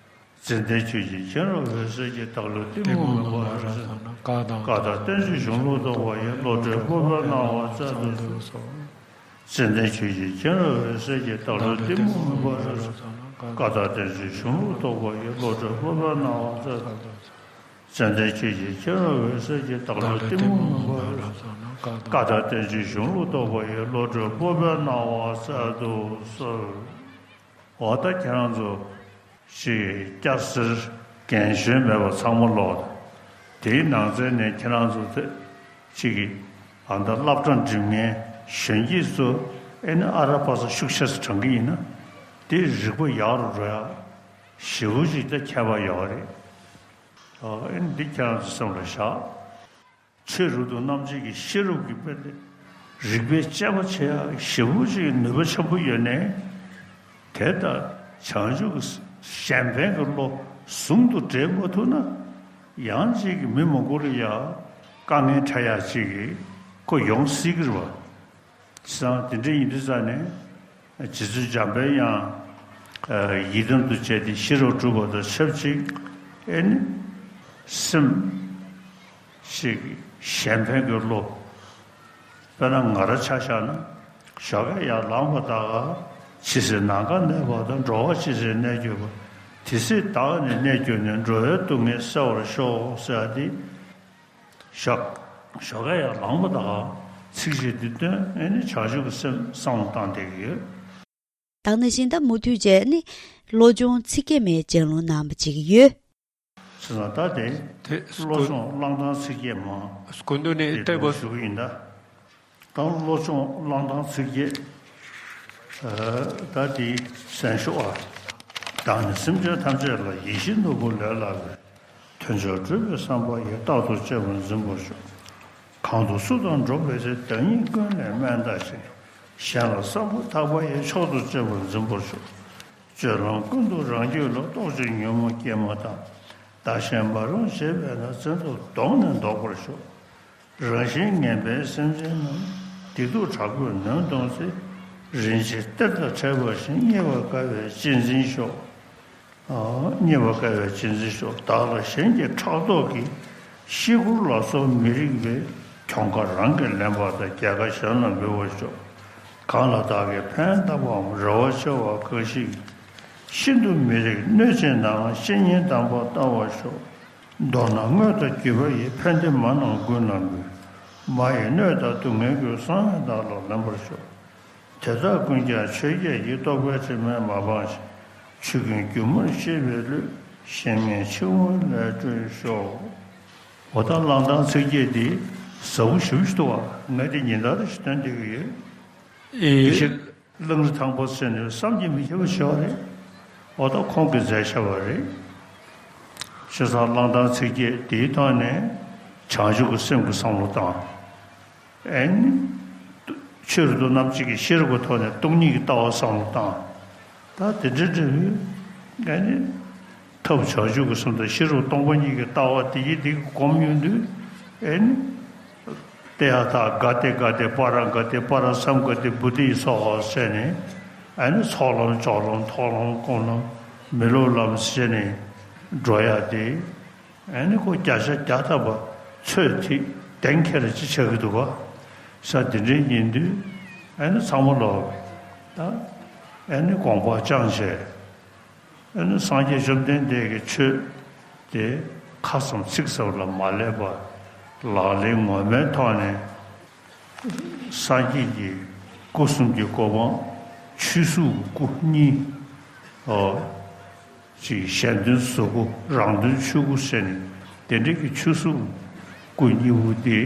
ཙནྡན་ཆོས་ཀྱི་མཁྱེན་རབ་འོད་གསལ་གྱིས། བདག་བློའི་གཏི་མུག་མུན་པ་རབ་བསལ་ནས། བཀའ་དང་བསྟན་བཅོས་གཞུང་ལུགས་རྟོགས་པ་ཡི། བློ་གྲོས་སྤོབས་པས་གནང་བ་སྩལ་དུ་གསོལ། ཙནྡན་ཆོས་ཀྱི་མཁྱེན་རབ་འོད་གསལ་གྱིས། བདག་བློའི་གཏི་མུག་མུན་པ་རབ་བསལ་ནས། བཀའ་དང་བསྟན་བཅོས་གཞུང་ལུགས་རྟོགས་པ་ཡི། བློ་གྲོས་སྤོབས་པས་གནང་བ་སྩལ་དུ་གསོལ། ཙནྡན་ཆོས་ཀྱི་མཁྱེན་རབ་འོད་གསལ་གྱིས། བདག་བློའི་གཏི་མུག་མུན་པ་རབ་བསལ་ནས། བཀའ་དང་བསྟན་བཅོས་གཞུང་ལུགས་རྟོགས་པ་ཡི། བློ་གྲོས་སྤོབས་པས་གནང་བ་སྩལ་དུ་གསོལ། འོ་ད་ཁྱེད་རང་ཚོ་ཅིག་སྐྱ་སེར་རྒན་གཞོན་མེད་པར་ཚང་མ་ཀློག་དང་། དེའི་ནང་ཚན་ནས་ཁྱེད་རང་ཚོ་དེ་ཅིག་གིས་ཨ་མདའ་སློབ་གྲྭ་འགྲིམ་མཁན་གཞོན་སྐྱེས་ཚོ་ཨེ་ནི་ཨ་ར་པ་ས་ཤུགས་ཆེ་ས་དྲངས་ཀྱི་ཡིན་ན། དེ་རིག་པ་ཡག་རུ་འགྲོ་ཡག་ཞེ་པོ་ཅིག་ད་ཁྱད་པར་ཡོད་རེད། ཨ་ནི་འདི་ཁྱེད་རང་ཚོ་སེམས་ལ་བཞག་ཆོས་རབ་ཏུ་རྣམ་འབྱེད་ཀྱི་ཤེས་རབ་ཀྱི་དཔེ་དེ་རིག་པའི་དཔྱད་པ་བྱེད་ཡག་ཞེ་པོ་ཅིག་ནུས་པ་ཆེན་པོ་ཡོད་ནའི། དེ་ལྟར་བྱང་ཆུབ་ཀྱི་གཞན་ཕན་གྱི་བློ་ཟུང་དུ་འབྲེལ་མ་ཐུབ་ན། ཡང་ཅིག་གི་མི་མང་པོ་ལ་ཡང་དཀའ་ངལ་འཕྲད་ཡག་ཅིག་གི་ཁོ་ཡོང་སྲིད་ཀྱི་རེད་བ། བྱས་ཙང་དེ་འདྲ་ཡིན་དུས་ཙང་ནས་རྗེ་བཙུན་འཇམ་པའི་དབྱངས་ཡི་དམ་དུ་བྱས་ཏེ་ཤེས་རབ་སྒྲུབ་པ་དང་ཆབས་ཅིག་ཨེ་ནི་སེམས་ཤིག་གཞན་ཕན་གྱི་བློ། དཔེར་ན་ང་རང་ཆ་བཞག་ན་ཞོགས་ཀས་ཡར་ལངས་པ་ད་ག་ཇི་སྲིད་ནམ་མཁའ་གནས་པ་དང་། འགྲོ་བ་ཇི་སྲིད་གནས་གྱུར་པ། དེ་སྲིད་བདག་ནི་གནས་གྱུར་ནས། འགྲོ་བའི་སྡུག་བསྔལ་སེལ་བར་ཤོག་ཟེར་ཡག་དེ། ཞོགས་ཞོགས་ཀས་ཡར་ལངས་པ་དང་ཚིགས་བཅད་འདི་བཏོན། ཨེ་ནི་བྱང་ཆུབ་ཀྱི་སེམས་བསམ་བློ་བཏང་བསྡད་ཀྱི་ཡོད། ད་ག་ནང་བཞིན་ད་མུ་མཐུད་བྱས་ནི་བློ་སྦྱོང་ཚིག་བརྒྱད་མའི་སྤྱན་སློང་གནང་བ་ཅིག་ཡོད། བྱས་ཙང་ད་དེ་དེ་བློ་སྒོ་སྦྱོང་བླང་དང་ཚིག་བརྒྱད་མ་སྐུ་མདུན་ནས་དེ་བལྟས་པ་ཞུ་གི་ཡིན་ད། ད་བློ་སྦྱོང་བླང་དང་ཚིག་བརྒྱད། ཨ་ད་དེ་གསན་ཤོག་ཨ། བདག་ནི་སེམས་ཅན་ཐམས་ཅད་ལ། ཡིད་བཞིན་ནོར་བུ་ལས་ལྷག་པའི། དོན་མཆོག་སྒྲུབ་པའི་བསམ་པ་ཡིས། རྟག་ཏུ་གཅེས་པར་འཛིན་པར་ཤོག། གང་དུ་སུ་དང་འགྲོགས་པའི་ཚེ། བདག་ཉིད་ཀུན་ལས་དམན་བལྟ་ཞིང་། གཞན་ལ་བསམ་པ་ཐག་པ་ཡིས། མཆོག་ཏུ་གཅེས་པར་འཛིན་པར་ཤོག། སྤྱོད་ལམ་ཀུན་ཏུ་རང་རྒྱུད་ལ། རྟོག་ཅིང་ཉོན་མོངས་སྐྱེས་མ་ཐག། བདག་གཞན་མ་རུངས་བྱེད་པས་ན། བཙན་ཐབས་གདོང་ནས་བཟློག་པར་ཤོག། རང་བཞིན་ངན་པའི་སེམས་ཅན་རྣམས། སྡིག་སྡུག་དྲག་པོས་ནོན་གཏོང་ཚེ། རིན་ཆེན་གཏེར་དང་འཕྲད་པ་བཞིན། རྙེད་པར་དཀའ་བའི་གཅེས་འཛིན་ཤོག། རྙེད་པར་དཀའ་བའི་གཅེས་འཛིན་ཤོག། བདག་ལ་གཞན་གྱི་ཕྲག་དོག་གིས། བཤིག་བཀུར་ལ་སོགས་མི་རིགས་པའི། གྱོང་ཁ་རང་གིས་ལེན་པ་དང་། རྒྱལ་ཁ་གཞན་ལ་འབུལ་བར་ཤོག། གང་ལ་བདག་གིས་ཕན་བཏགས་པའམ། རེ་བ་ཆེ་བ་འགའ་ཞིག་གིས། ཤིན་ཏུ་མི་རིགས་གནོད་བྱེད་ནའང་། བཤེས་གཉེན་དམ་པར་བལྟ་བར་ཤོག། མདོར་ན་དངོས་དང་བརྒྱུད་པ་ཡི། ཕན་བདེ་མ་རྣམས་ཀུན་ལ་འབུལ། མ་ཡི་གནོད་དང་སྡུག་བསྔལ་ཀུན། གསང་བས་བདག་ལ་ལེན་པར་ཤོག། དེ་དག་ཀུན་ཀྱང་ཆོས་བརྒྱད་ཀྱི། རྟོག་པའི་དྲི་མས་མ་སྤངས་ཤིང་། ཆོས་ཀུན་སྒྱུ་མར་ཤེས་པའི་བློས། གཞན་ངན་འཆིང་བ་ལས་སྒྲོལ་ཤོག། འོ་ད་བླང་དང་ཚིག་བརྒྱད་འདི་ཟབ་པོ་ཞེ་པོ་ཞིག་འདུག་བ། ངས་འདི་ཉིན་ལྟར་ཞིག་སྟོན་བསྡད་ཀྱི་ཡོད། ཨེ། དེ་བཞིན་གླང་རི་ཐང་པ་ཟེར་ནས་བསམ་གྱིས་མི་ཁྱབ་པ་ཞིག་ཡོད་རེད། འོ་ད་ཁོང་གིས་མཛད་བཞག་པ་རེད། བྱས་ཙང་བླང་དང་ཚིག་བརྒྱད་འདིའི་ཐོག་ནས་བྱང་ཆུབ་ཀྱི་སེམས་ཀྱི་བསམ་བློ་བཏང་། ཨེ་ནི། ཆོས་རབ་ཏུ་རྣམ་འབྱེད་ཀྱི་ཤེས་རབ་ཀྱི་ཐོག་ནས་སྟོང་ཉིད་ཀྱི་ལྟ་བ་བསམ་བློ་བཏང་། ད་དེ་འདྲ་འདྲ་བོའི་ཨེ་ནི། ཐབས་བྱང་ཆུབ་ཀྱི་སེམས་དང་ཤེས་རབ་སྟོང་པ་ཉིད་ཀྱི་ལྟ་བ་དེ་ཡི་དེ་གི་སྒོམ་ཡོང་དུས་ཨེ་ནི། ཏདྱ་ཐཱ་ག་ཏེ་ག་ཏེ་པཱ་ར་ག་ཏེ་པཱ་ར་སཾ་ག་ཏེ་བོ་དྷི་སྭཱ་ཧཱ་ཟེར་ནས། ཨ་ནི་ཚོགས་ལམ་སྦྱོར་ལམ་མཐོང་ལམ་སྒོམ་ལམ་མི་སློབ་ལམ་ཟེར་ནས་འགྲོ་ཡ་དེ། ཨ་ནི་ཁོ་བརྒྱ་ཆ་བརྒྱ་ཐམ་པ་ཚོད་ཐིག་གཏན་འཁེལ་ཅིག་ཆགས་ཀྱི་འདུག་ག་ས་དེ་འདྲའི་ཡིན་དུས། ཨ་ནི་ཚང་མ་ལོག་ད། ཨ་ནི་དགོངས་པ་བཅངས་བྱས། ཨ་ནི་སངས་རྒྱས་བཅོམ་ལྡན་འདས་ཀྱི་ཆོས་དེ་ཁ་ཙམ་ཚིག་ཙམ་ལ་མ་སླེབས་པར། ལག་ལེན་ངོ་མའི་ཐོག་ནས་སངས་རྒྱས་ཀྱི་སྐུ་གསུམ་གྱི་གོ་འཕང་། ཆོས་གཟུགས་སྐུ་གཉིས། ཨོ། ཅིག་གཞན་དོན་གཟུགས་སྐུ། རང་དོན་ཆོས་སྐུ་ཟེར་ནས། དེ་འདྲའི་གི་ཆོས་གཟུགས་སྐུ་གཉིས་པོ་དེ།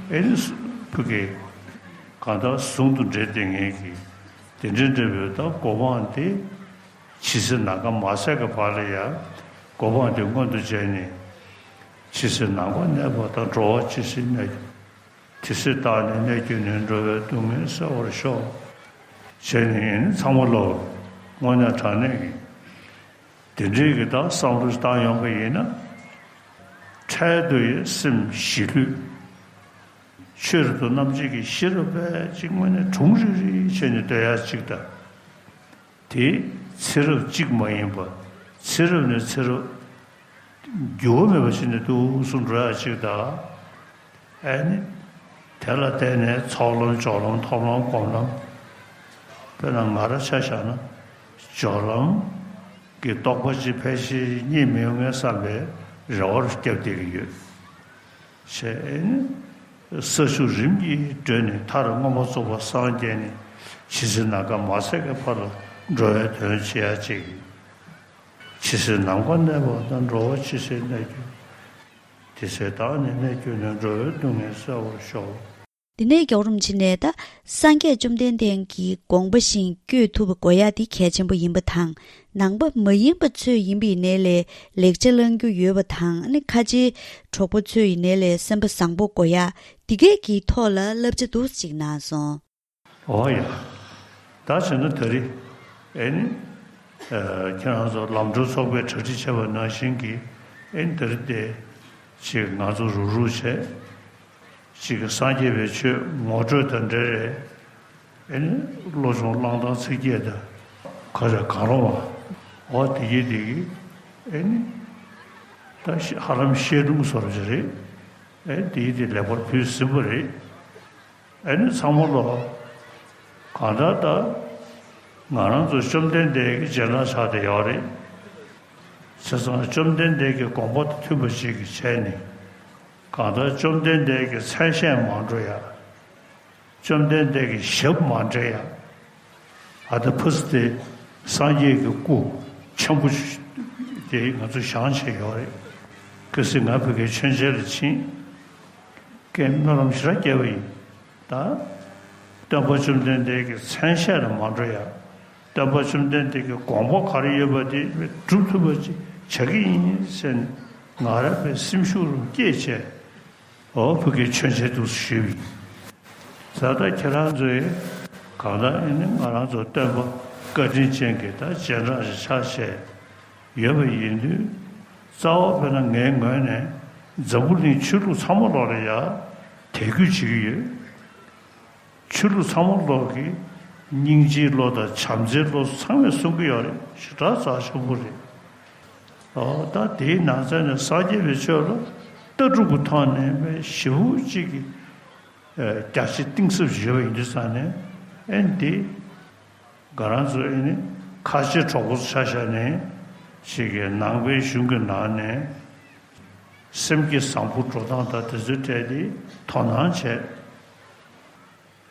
ཨེ་ནི་ཕ་གི་གང་ལྟར་ཟུང་དུ་འབྲེལ་བསྡད་མཁན་གྱི་དེ་འདྲའི་འབྲེལ་བའི་ད་གོ་འཕང་དེ། ཇི་སྲིད་ནམ་མཁའ་མ་ཟད་ཀྱི་བར་ལ་ཡང་གོ་འཕང་དེ་མངོན་དུ་བྱས་ནས། ཇི་སྲིད་ནམ་མཁའ་གནས་པ་དང་། འགྲོ་བ་ཇི་སྲིད་གནས། དེ་སྲིད་བདག་ནི་གནས་གྱུར་ནས། འགྲོ་བའི་སྡུག་བསྔལ་སེལ་བར་ཤོག་ཅེས་ནི་ཚང་མ་ལོག་དངོས་གནས་དྲང་གནས་ཀྱི་དེ་འདྲའི་གི་ད་བསམ་བློ་བཏང་ཡོང་པ་ཡིན་ན། འཕྲལ་དུ་ཡི་སེམས་ཞི་ལྷོད། ཆོས་རབ་ཏུ་རྣམ་འབྱེད་ཀྱི་ཤེས་རབ་པས་ཅིག་དངོས་གནས་གྲུང་རིག་རིག་བྱས་ནས་སྡོད་ཡ་ཅིག་དང་། དེ་ཚེ་རབས་གཅིག་མ་ཡིན་པ། ཚེ་རབས་ནས་ཚེ་རབས་འགྱུར་བ་མེད་པ་ཞིག་ནས་ཏོག་ཙམ་འགྲོ་ཡ་ཅིག་དང་། ཨ་ནི། དེ་ལ་བརྟེན་ནས་ཚོགས་ལམ་སྦྱོར་ལམ་མཐོང་ལམ་སྒོམ་ལམ། དཔེར་ན་ང་རང་ཆ་བཞག་ན། སྦྱོར་ལམ་གྱི་རྟོགས་པ་ཅིག་ཕལ་ཆེར་རྙེད་མི་ཡོང་ངེས་བསམ་པའི་རེ་བ་རུ་བརྒྱབ་བསྡད་ཀྱི་ཡོད། བྱས་ནས། ས་བཅུ་རིམ་གྱིས་བགྲོད་ནས། མཐར་མངོན་པར་རྫོགས་པར་སངས་རྒྱས་ནས། ཇི་སྲིད་ནམ་མཁའ་མ་ཟད་ཀྱི་བར་ལ་འགྲོ་བའི་དོན་བྱེད་ཡ་ཅིག་ཇི་སྲིད་ནམ་མཁའ་གནས་པ་དང་། འགྲོ་བ་ཇི་སྲིད་གནས་གྱུར། དེ་སྲིད་བདག་ནི་གནས་གྱུར་ནས། འགྲོ་བའི་སྡུག་བསྔལ་སེལ་བར་ཤོག་དེ་ནས་རྒྱལ་བ་རིན་པོ་ཆེ་ནས་ད་སངས་རྒྱས་བཅོམ་ལྡན་འདས་ཀྱི་དགོངས་པ་བཞིན་བསྐྱོད་ཐུབ་པ་དགོས་ཡ་དེ་གལ་ཆེན་པོ་ཡིན་པ་དང་། ནང་པ་མ་ཡིན་པ་ཚོས་ཡིན་པའི་ནས་ལས་ལེགས་ཆ་བླང་རྒྱུ་ཡོད་པ་དང་། ཨ་ནི་ཁ་ཆེའི་གྲོགས་པོ་ཚོས་ཡིན་ནས་ལས་སེམས་པ་བཟང་པོ་དགོས་ཡ་དེ་གས་ཀྱི་ཐོག་ལ་བསླབ་བྱ་འདུག་ཅིག་གནང་སོང་། ཨོ་ཡ། ད་བྱས་ན་ད་རེས་ཨེ་ནི། ཨ། ཁྱེད་རང་ཚོ་ལམ་གྲོན་ཚོགས་པས་གྲ་སྒྲིག་བྱས་པ་ནང་བཞིན་གྱི་ཨེ་ནི་ད་རེས་དེ་ཅིག་ང་ཚོ་རུག་རུག་བྱས། ཅིག་གི་སངས་རྒྱས་པའི་ཆོས་ངོ་སྤྲོད་དང་འབྲེལ་རེད། ཨེ་ནི་བློ་སྦྱོང་བླང་སྟངས་ཚིགས་བཅད་དང་། ག་རེ་གང་རུང་བ། ཨོ་དེ་གི་དེ་གི་ཨེ་ནི། ད་ཧ་ལམ་བཤད་སྒྲུང་བཟོ་འདྲ་ཅིག་རེད། ཨེ་དེ་གི་དེ་ལེགས་པར་ཕུལ་ཟིན་པ་རེད། ཨེ་ནི་ཚང་མ་ལོག་གང་ལྟར་ད་ང་རང་ཚོ་བཅོམ་ལྡན་འདས་ཀྱི་རྗེས་འབྲང་ཆགས་བསྡད་ཡོད་རེད། བྱས་ཙང་བཅོམ་ལྡན་འདས་ཀྱི་དགོངས་པ་དང་མཐུན་པ་ཞིག་གི་བྱས་ནས། གང་ལྟར་བཅོམ་ལྡན་འདས་ཀྱི་མཚན་ཤས་མ་འགྲོ་ཡ། བཅོམ་ལྡན་འདས་ཀྱི་ཞབས་མ་འདྲེན་ཡ། ཨ་ད་ཕུ་སི་དེ་སངས་རྒྱས་ཀྱི་སྐུ་ཆེན་པོ་དེ་ང་ཚོ་བཞེངས་བྱས་ཡོད་རེད། གལ་སྲིད་ང་ཕ་གིའི་མཆོད་མཇལ་ལ་ཕྱིན། ཀྱེ་སྨོན་ལམ་ཞེ་དྲག་བསྐྱེད་པ་ཡིན། ད། སྟོན་པ་བཅོམ་ལྡན་འདས་ཀྱི་མཚན་ཤས་ལ་མ་འགྲོ་ཡ། སྟོན་པ་བཅོམ་ལྡན་འདས་ཀྱི་དགོངས་པ་ག་རེ་ཡོད་པ་དེ་སྒྲུབ་ཐུབ་པ་ཅིག་བྱ་གི་ཡིན་ཟེར་ནས་ང་རང་པའི་སེམས་ཤུགས་རུ་བསྐྱེད་བྱས། ཨོ་ཕ་གིའི་མཆོད་མཇལ་འདུག་ཞུས་པ་ཡིན། ད་ལྟ་ཁྱེད་རང་ཚོས་གང་ལྟར་ཨེ་ནི་ང་རང་ཚོ་སྟོན་པ་བཀའ་དྲིན་ཅན་གྱི་ད་རྗེས་འབྲང་ཞིག་ཆགས་བྱས་ཡོད་པ་ཡིན་དུས། རྩ་བ་དཔེར་ན་ངའི་ངོས་ནས་འཛམ་བུ་གླིང་ཆོས་ལུགས་ཚང་མ་ལོག་ལ་ཡ་དད་གུས་བྱེད་ཀྱི་ཡོད། ཆོས་ལུགས་ཚང་མ་ལོག་གི་སྙིང་རྗེའི་བློ་དང་བྱམས་བརྩེའི་བློ་ཚང་མས་གསུང་གི་ཡོད་རེད། ཞེ་དྲག་རྩ་ཆེན་པོ་རེད། ཨོ་ད་དེའི་ནང་ཚན་ནས་སངས་རྒྱས་པའི་ཆོས་ལ་ལྟ་གྲུབ་ཀྱི་ཐོག་ནས་མེད་ཞེ་པོ་ཅིག་གི་རྒྱ་ཆེ་གཏིང་ཟབ་ཞིག་ཡོད་པ་ཡིན་དུས་ཙང་ནས། ཨེ་འདི་ང་རང་ཚོ་ཨེ་ནི་ཁ་ཆེ་གྲོགས་པོ་ཆ་བཞག་ནས་ཞིག་གི་ནང་པའི་གཞུང་གི་ནང་ནས་སེམས་བསྐྱེད་བཟང་པོ་འགྲོ་སྟངས་དང་དེ་ཚོའི་གྲས་དེ་དོ་སྣང་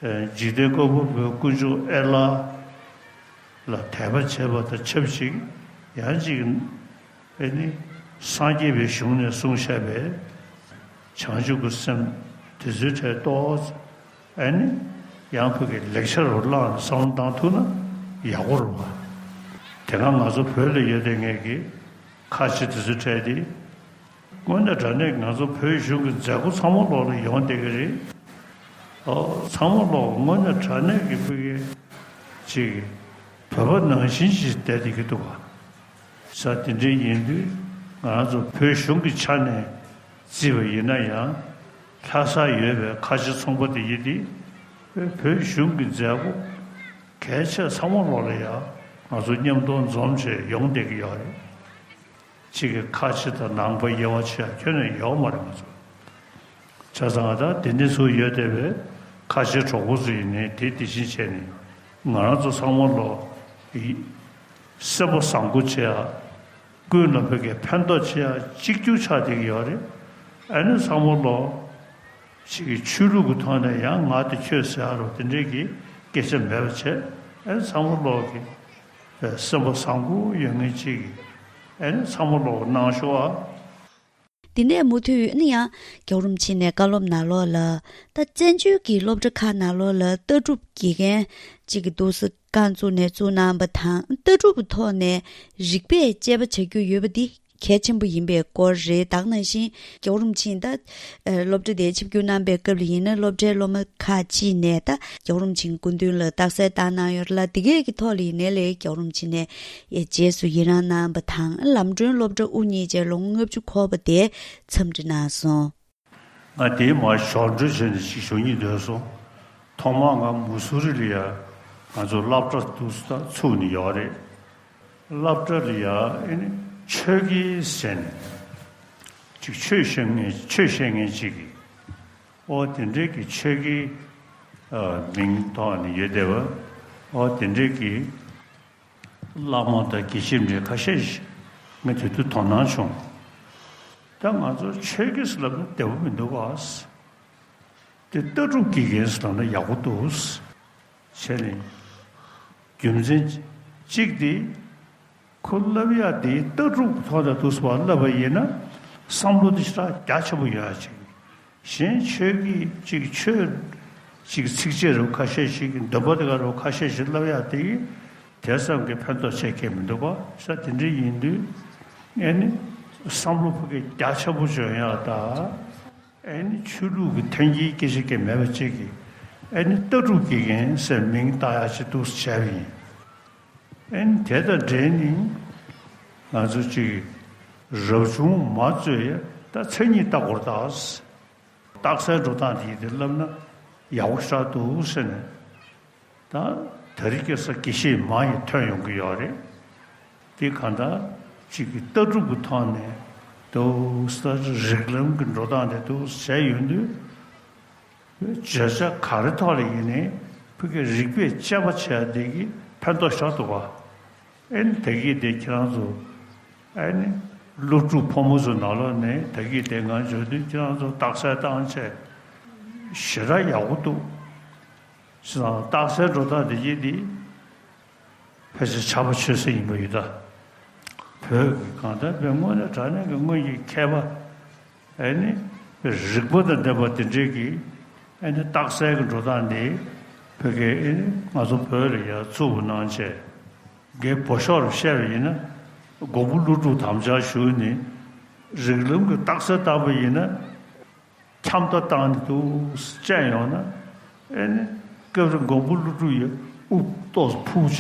བྱས། འཇིག་རྟེན་བཀོད་པ་པོའི་དཀོན་མཆོག་ཨེ་ལ་ལ་དད་པ་བྱེད་པ་དང་ཆབས་ཅིག་ཡང་ཅིག་ཨེ་ནི་སངས་རྒྱས་པའི་གཞུང་ནས་གསུངས་བཞག་པའི་བྱང་ཆུབ་ཀྱི་སེམས་དེ་ཚོའི་གྲས་ཏོག་ཙམ་ཨེ་ནི་ཡང་ཕ་གི་ལེགས་ཆ་རུ་བླངས་ནས་བསམ་བློ་བཏང་ཐུབ་ན་ཡག་པོ་རེད་པ། དེ་སྔ་ང་ཚོ་བོད་ལ་ཡོད་དེ་ངེད་ཀྱི་ཁ་ཆེ་དེ་ཚོའི་གྲས་དེ། དངོས་གནས་དྲང་གནས་ང་ཚོ་བོད་གཞུང་གི་མཛད་སྒོ་ཚང་མ་ལོག་ལ་ཡོང་བསྡད་ཀྱི་རེད། ཨོ་ཚང་མ་ལོག་དངོས་གནས་དྲང་གནས་ཀྱི་ཕ་གི་ཅིག་བོད་པ་ནང་བཞིན་ཞིག་བསྡད་བསྡད་ཀྱི་འདུག་ག་ས་དེ་འདྲའི་ཡིན་དུས་ང་རང་ཚོ་བོད་གཞུང་གི་ཆ་ནས་བརྩིས་པ་ཡིན་ན་ཡང་ ལྷ་སར་ཡོད་པའི་ཁ་ཆེ་ཚོང་པ་དེ་ཡིན་ཏེ། བོད་གཞུང་གི་མཛད་སྒོ་གལ་ཆེ་ཚང་མ་ལོག་ལ་ཡ་ང་ཚོ་མཉམ་དུ་འཛོམས་བྱས་ཡོང་བསྡད་ཀྱི་ཡོད་རེད། གཅིག་གི་ཁ་ཆེ་དང་ནང་པ་དབྱེ་བ་ཕྱེ་ཡ་ཁྱོན་ནས་ཡོད་མ་རེད་ང་ཚོ། བྱས་ཙང་ད་དེ་འདྲ་ཚོ་ཡོད་བསྡད་པའི་ཁ་ཆེ་གྲོགས་པོ་ཚོ་ཡིན་ནའི་དེ་དེ་བཞིན་བྱས་ནས་ང་རང་ཚོ་ཚང་མ་ལོག་ཡི་སེམས་པ་བཟང་པོ་བྱེད་ཡ། ཀུན་ལ་བོད་ཀྱི་ཕན་ཐོགས་ཆེ་ཡ་གཅིག་གྱུར་ཆགས་བསྡད་ཀྱི་ཡོད་རེད། ཨ་ནི་ཚང་མ་ལོ་ཞིག་གི་ཆོས་ལུགས་ཀྱི་ཐོག་ནས་ཡང་ང་དེ་ཁྱོད་ཟེར་ཡ་རོ་དེ་འདྲས་ཀྱི་སྐད་ཆ་མེད་པ་བྱས། ཨ་ནི་ཚང་མ་ལོ་གི་སེམས་པ་བཟང་པོ་ཡོད་མཁན་གཅིག་གི་ཨ་ནི་ཚང་མ་ལོ་གནང་ཤོག་ཨ། འདི་ནས་མུ་མཐུད་ཨ་ནི་ཡང་རྒྱལ་བ་རིན་པོ་ཆེ་ནས་བཀའ་སློབ་ནང་ལོགས་ལ། ད་བཙན་བྱོལ་གྱི་སློབ་གྲྭ་ཁག་ནང་ལོགས་ལ་ལྟ་གྲུབ་དགེ་རྒན་གཅིག་གི་འདུག་སེ་རྐང་བཙུགས་ནས་བཙུགས་གནང་བ་དང་། ལྟ་གྲུབ་ཀྱི་ཐོག་ནས་རིག་པས་དཔྱད་པ་བྱ་རྒྱུ་ཡོད་པ་འདི་གལ་ཆེན་པོ་ཡིན་པའི་སྐོར་རེད། ད་ག་ནང་བཞིན་རྒྱལ་བ་རིན་པོ་ཆེ་ད་སློབ་གྲྭ་དེ་ཆིབས་བསྒྱུར་གནང་པའི་སྐབས་ལ་ཡིན་ན། སློབ་གྲྭའི་སློབ་མ་ཁག་ཅིག་ནས་ད་རྒྱལ་བ་རིན་པོ་ཆེའི་སྐུ་མདུན་ལ་རྟགས་གསལ་བཏང་གནང་ཡོད་རེད་ལ། དེ་གས་ཀྱི་ཐོག་ལ་ཡིན་ནའི་ལས་རྒྱལ་བ་རིན་པོ་ཆེ་ནས་རྗེས་སུ་ཡི་རང་གནང་བ་དང་། ལམ་གྲོན་སློབ་གྲྭ་དབུ་བརྙེས་རྗེས་ལོ་ངོ་ལྔ་བཅུ་འཁོར་བ་དེ་འཚམས་འདྲི་གནང་སོང་། ང་དེའི་མར་ཞོར་འཕྲོས་བྱས་ནས་ཅིག་ཞུ་སྙིང་འདོད་སོང་། ཐོག་མར་ང་མུ་སུ་རི་ལ་ཡ་ང་ཚོ་སློབ་གྲྭ་དུ་ཚུགས་ནས་ཡོད་རེད། སློབ་གྲྭ་ལ་ཡ་ཨེ་ནི་ཆོས་དགེ་ཟེར་ནས་ཅིག་ཆོས་བཤད་མཁན་ཆོས་བཤད་མཁན་ཅིག་གིས་ཨོ་དེ་འདྲས་ཀྱི་ཆོས་དགེ་མིང་ཐོག་ནས་ཡོད་བསྡད་པ། ཨོ་དེ་འདྲས་ཀྱི་བླ་མ་དང་དགེ་བཤེས་འདྲ་ཁ་ཤས་ཤིག་ངས་དེ་དུས་དོ་སྣང་བྱུང་། ད་ང་ཚོ་ཆོས་དགེ་ཟེར་ལབ་ན་བདེ་པོ་མི་འདུག་ག། དེ་ལྟ་གྲུབ་དགེ་རྒན་ཟེར་ལབ་ན་ཡག་པོ་འདུག་བྱས་ནས། རྒྱུ་མཚན་གཅིག་དེ་ཁོ་བསླབ་ཡག་དེ་ལྟ་གྲུབ་ཐོག་ནས་འདུག་སེ་བསླབ་པ་ཡིན་ན་བསམ་བློ་དེ་ཞེ་དྲག་རྒྱ་ཆེན་པོ་ཡོད་ཡ་ཅིག། གཞན་ཆོས་ཀྱི་ཅིག་ཆོས་ཅིག་ཚིགས་བཅད་རུ་ཁ་ཤས་ཤིག་འདོན་པ་དེ་ག་རུ་ཁ་ཤས་ཤིག་བསླབ་ཡག་དེ་དེ་ཙམ་གྱི་ཕན་ཐོགས་ཆེ་གི་མི་འདུག་ག། ས་དེ་འདྲ་ཡིན་དུས་ཨེ་ནི་བསམ་བློ་ཕ་གི་རྒྱ་ཆེན་པོ་འཇོན་ཡག་དང་། ཨེ་ནི་ཆོས་ལུགས་ཀྱི་ཐོན་སྐྱེད་སྐད་ཆ་གི་མེད་པ་ཅིག་གིས་ཨེ་ནི་ལྟ་གྲུབ་དགེ་རྒན་ཟེར་མིང་བཏགས་ཡག་ཅིག་འདུག་སེ་བྱས་པ་ཡིན། ཨེ་ནི་དེ་དང་འབྲེལ་ནས་ང་ཚོ་ཅིག་རབ་བྱུང་མ་རྩོད་ཡ་ད་མཚན་ཉིད་ལྟ་སྐོར་དང་། རྟགས་གསལ་འགྲོ་སྟངས་དེ་ཡིན་དེ་བསླབ་ན་ཡག་པོ་ཞེ་དྲག་འདུག་ཟེར་ནས། ད་དེ་རིང་ཁ་སང་དགེ་བཤེས་མ་ཡིས་ཐོན་ཡོང་གི་ཡོད་རེད། དེ་གང་ལྟར་ཅིག་གི་ལྟ་གྲུབ་ཀྱི་ཐོག་ནས་འདུག་ས་རིགས་ལམ་གྱི་འགྲོ་སྟངས་དེ་འདུག་བྱས་ཡོང་དུས། བརྗོད་བྱ་ག་རེ་ཐོག་ལ་ཡིན་ནའི་ཕ་གི་རིགས་པས་དཔྱད་པ་བྱས་དེ་གི་ཕན་ཐོགས་ཞེ་དྲག་འདུག་ག། ཨེ་ནི་ད་གི་དེ་ཁྱེད་རང་ཚོ་ཨེ་ནི་སློབ་ཕྲུག་ཕོ་མོ་ཚོ་ནང་ལོགས་ནས་ད་གི་དེ་ང་འཇོན་དུས་ཁྱེད་རང་ཚོ་རྟགས་གསལ་བཏང་བྱས་ཞེ་དྲག་ཡག་པོ་འདུག། བྱས་ཙང་རྟགས་གསལ་འགྲོ་སྟངས་དེ་གི་དེ་ཕལ་ཆེར་ཕྱྭ་པ་ཆོས་སྲིད་ཡིན་པ་ཡོད་ད། བོད་ཀྱི་གང་ལྟར་བོད་དངོས་གནས་དྲང་གནས་ཀྱི་དངོས་ཀྱི་མཁས་པ། ཨེ་ནི། རིག་པ་དང་ལྡན་པ་དེ་འདྲས་ཀྱི། ཨེ་ནི་རྟགས་གསལ་གྱི་འགྲོ་སྟངས་འདི། བོད་ཀྱི་ཨེ་ནི་ང་ཚོ་བོད་ལ་ཡང་ཚུགས་པ་གནང་བྱས། རྒན་བོད་ཤོག་རུ་བཤད་པ་ཡིན་ན། མགོན་པོ་ཀླུ་སྒྲུབ་དམ་བཅའ་ཞུས་ནས། རིགས་ལམ་གྱི་རྟགས་གསལ་བཏང་པ་ཡིན་ན། འཁྱམ་ད་བཏང་ནས་འདུག་སེ་བཅད་ཡོང་ན། ཨེ་ནི། སྐབས་རེ་མགོན་པོ་ཀླུ་སྒྲུབ་ཡི་དབུ་ཏོག་ཕུག་བྱས་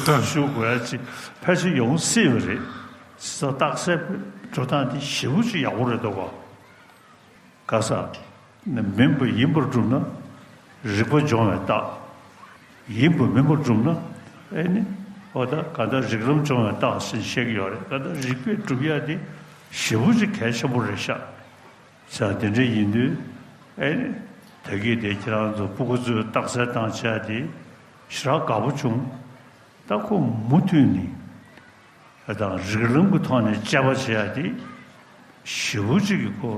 འདུག་ཞུ་དགོས་ཡ་ཅིག་ཕལ་ཆེར་ཡོང་སྲིད་པ་རེད། ས་རྟགས་གསལ་འགྲོ་སྟངས་དེ་ཞེ་པོ་ཅིག་ཡག་པོ་རེད་འདུག་ག། ག་ས། མིན་པ་ཡིན་པར་བསྒྲུབ་ན། རིག་པ་སྦྱོང་བའི་རྟགས། ཡིན་པ་མིན་པར་བསྒྲུབ་ན། ཨེ་ནི། འོ་ད་ག་ད་རིགས་ལམ་སྦྱོང་བའི་རྟགས་ཟེར་བཤད་ཀྱི་ཡོད་རེད། ག་ད་རིག་པས་སྒྲུབ་ཡ་དེ་ཞེ་པོ་ཅིག་གལ་ཆེན་པོ་རེད་ཤག། ས་དེ་འདྲ་ཡིན་དུས། ཨེ་ནི། ད་གིན་དེ་ཁྱེད་རང་ཚོ་སྤུ་གུ་ཚོས་རྟགས་གསལ་བཏང་བྱས་དེ་ཞེ་དྲག་དགའ་པོ་བྱུང་། ད་ཁོ་མུ་མཐུད་ནས་ཨ་དང་རིགས་ལམ་གྱི་ཐོག་ནས་དཔྱད་པ་བྱེད་ཡ་དེ་ཞེ་པོ་ཅིག་གི་ཁོ་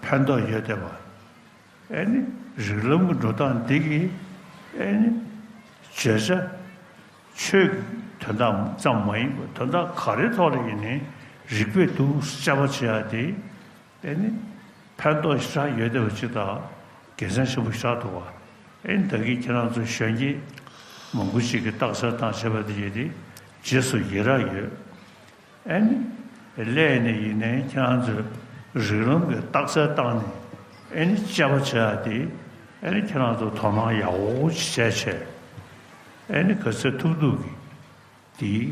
ཕན་ཐོགས་ཡོད་བསྡད་པ། ཨེ་ནི་རིགས་ལམ་གྱི་འགྲོ་སྟངས་འདི་གིས་ཨེ་ནི་བརྗོད་བྱ་ཆོས་ཀྱི་དོན་དག་ཙམ་མ་ཡིན་པར་དོན་དག་ག་རེའི་ཐོག་ལ་ཡིན་ནའི་རིགས་པས་འདུག་དཔྱད་པ་བྱེད་ཡ་དེ། ཨེ་ནི། ཕན་ཐོགས་ཞེ་དྲག་ཡོད་བསྡད་པ་ཅིག་དང་། དགེ་མཚན་ཆེན་པོ་ཞེ་དྲག་འདུག་བ། ཨེ་ནི་ད་གིན་ཁྱེད་རང་ཚོ་གཞོན་སྐྱེས་མང་པོ་ཞིག་གིས་རྟགས་གསལ་བཏང་བྱས་པ་དེ་ཡིན་ཏེ། རྗེས་སུ་ཡི་རང་ཡོད། ཨེ་ནི། སླད་ནས་ཡིན་ནའི་ཁྱེད་རང་ཚོས་རིགས་ལམ་གྱི་རྟགས་གསལ་བཏང་ནས། ཨེ་ནི་དཔྱད་པ་བྱེད་ཡ་དེ། ཨེ་ནི་ཁྱེད་རང་ཚོ་དོ་སྣང་ཡག་པོ་ཞིག་བྱས་བྱས། ཨེ་ནི་ག་ཚོད་ཐུབ་ཐུབ་ཀྱིས། དེའི་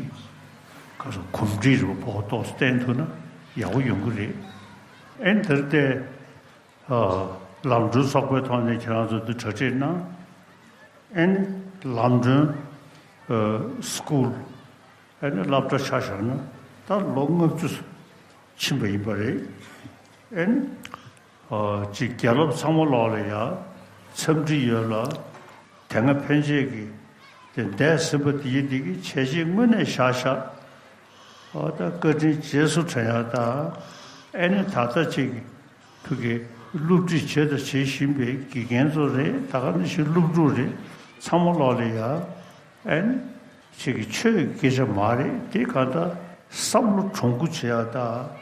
ག་རེ་གོམས་འདྲིས་རུ་ཕོག་ཏོག་བསྟན་ཐུབ་ན་ཡག་པོ་ཡོང་གི་རེད། ཨེ་ནི་དེར་བལྟས། ཨ། ལམ་གྲོན་ཚོགས་པའི་ཐོག་ནས་ཁྱེད་རང་ཚོ་འདི་གྲ་སྒྲིག་གནང་། ཨེ་ནི་ལམ་གྲོན་ཨ་སི་ཀུལ་ཨེ་ནི་སློབ་གྲྭ་ཆ་བཞག་ན་ད་ལོ་ལྔ་བཅུ་ཕྱིན་པ་ཡིན་པ་རེད། ཨེ་ནི་ཨ་ཅིག་དགེ་སློབ་ཚང་མ་ལོག་ལ་ཡ་འཚམས་འདྲི་ཡོད་ལ། དེ་སྔ་ཕན་ཆད་ཀྱི་དེ་འདས་ཟིན་པ་དེ་ཡི་དེ་གི་བྱས་རྗེས་དངོས་གནས་བཞག་བཞག་ཨ་ད་བཀའ་དྲིན་རྗེས་སུ་དྲན་ཡག་དང་། ཨེ་ནི་ད་ལྟ་ཅིག་ཕ་གི་སློབ་ཁྲིད་བྱས་དང་བྱེད་བཞིན་པའི་དགེ་རྒན་ཚོ་རེད། ད་ག་ནང་བཞིན་སློབ་ཕྲུག་རེད། ཚང་མ་ལོག་ལ་ཡ་ཨེ་ནི་ཅིག་གི་ཆོས་ཀྱི་སྐད་ཆ་མ་རེད། དེ་ག་ད་བསམ་བློ་དྲང་པོ་བྱེད་ཡག་དང་།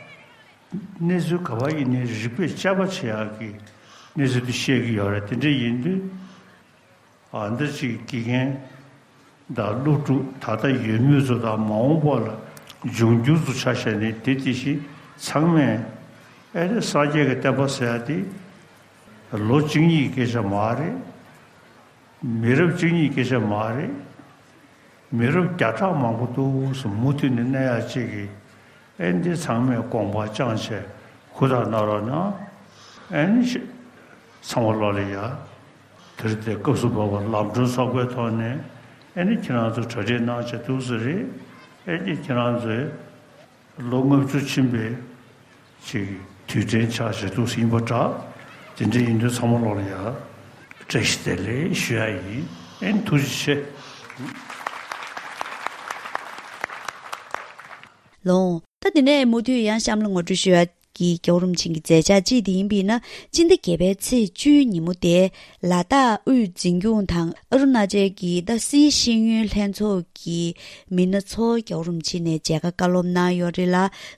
གནས་ཚུལ་ག་པར་ཡིན་ནའི་རིགས་པས་དཔྱད་པ་བྱེད་ཡག་གི་གནས་ཚུལ་དེ་བཤད་ཀྱི་ཡོད་རེད། དེ་འདྲ་ཡིན་དུས། ཨ་འདི་ཅིག་དགེ་རྒན་དང་སློབ་ཕྲུག་ད་ལྟ་ཡོད་མུས་ཚོ་དང་མ་འོངས་པ་ལ་འབྱུང་འགྱུར་ཚོ་ཆ་བཞག་ནས། དེ་དེ་བཞིན་ཚང་མས་ཨེ་རེ་སངས་རྒྱས་ཀྱི་བསྟན་པ་ཟེར་ཡ་དེ་ལོ་གཅིག་གཉིས་ཀྱི་སྐད་ཆ་མ་རེད། མི་རབས་གཅིག་གཉིས་ཀྱི་སྐད་ཆ་མ་རེད། མི་རབས་བརྒྱ་ཕྲག་མང་པོ་འདུག་སེ་མུ་མཐུད་ནས་གནས་ཡ་ཅིག་གི་ཨེ་འདི་ཚང་མས་དགོངས་པ་བཅངས་བྱས་ཧུར་ཐག་གནང་རོགས་གནང་། ཨེ་ནི་ཤི་ཚང་མ་ལོག་ལ་ཡ། དེར་དེ་སྐབས་སུ་བབ་པ་ལམ་གྲོན་ཚོགས་པའི་ཐོག་ནས་ཨེ་ནི་ཁྱེད་རང་ཚོ་གྲ་སྒྲིག་གནང་བྱས་འདུག་སེ་རེད། ཨེ་ནི་ཁྱེད་རང་ཚོས་ལོ་ལྔ་བཅུ་ཕྱིན་པའི་ཅིག་དུས་དྲན་ཆགས་བྱས་འདུག་སེ་ཡིན་པ་འདྲ། དེ་འདྲ་ཡིན་དུས་ཚང་མ་ལོག་ལ་ཡ་བཀྲ་ཤིས་བདེ་ལེགས་ཞུ་ཡ་ཡིན། ཨེ་ནི་ཐུགས་རྗེ་ཆེ། ལོང་། ད་དེ་ནས་མུ་མཐུད་ཡང་གཤམ་ལ་ངོ་སྤྲོད་ཞུ་ཡ་གི་རྒྱལ་བ་རིན་པོ་ཆེ་གི་མཛད་འཆར་གཅིག་དེ་ཡིན་པས་ན། སྤྱི་ཟླ་བརྒྱད་པའི་ཚེས་བཅུའི་ཉིན་མོ་དེ་ལ་དྭགས་དབུས་འཛིན་སྐྱོང་དང་ཨ་རུ་ན་ཅལ་གྱི་ད་སིའི་ཤེས་ཡོན་ལྷན་ཚོགས་ཀྱི་མི་སྣ་ཚོ་རྒྱལ་བ་རིན་པོ་ཆེ་ནས་མཇལ་ཁ་བཀའ་སློབ་གནང་ཡོད་རེད་ལ།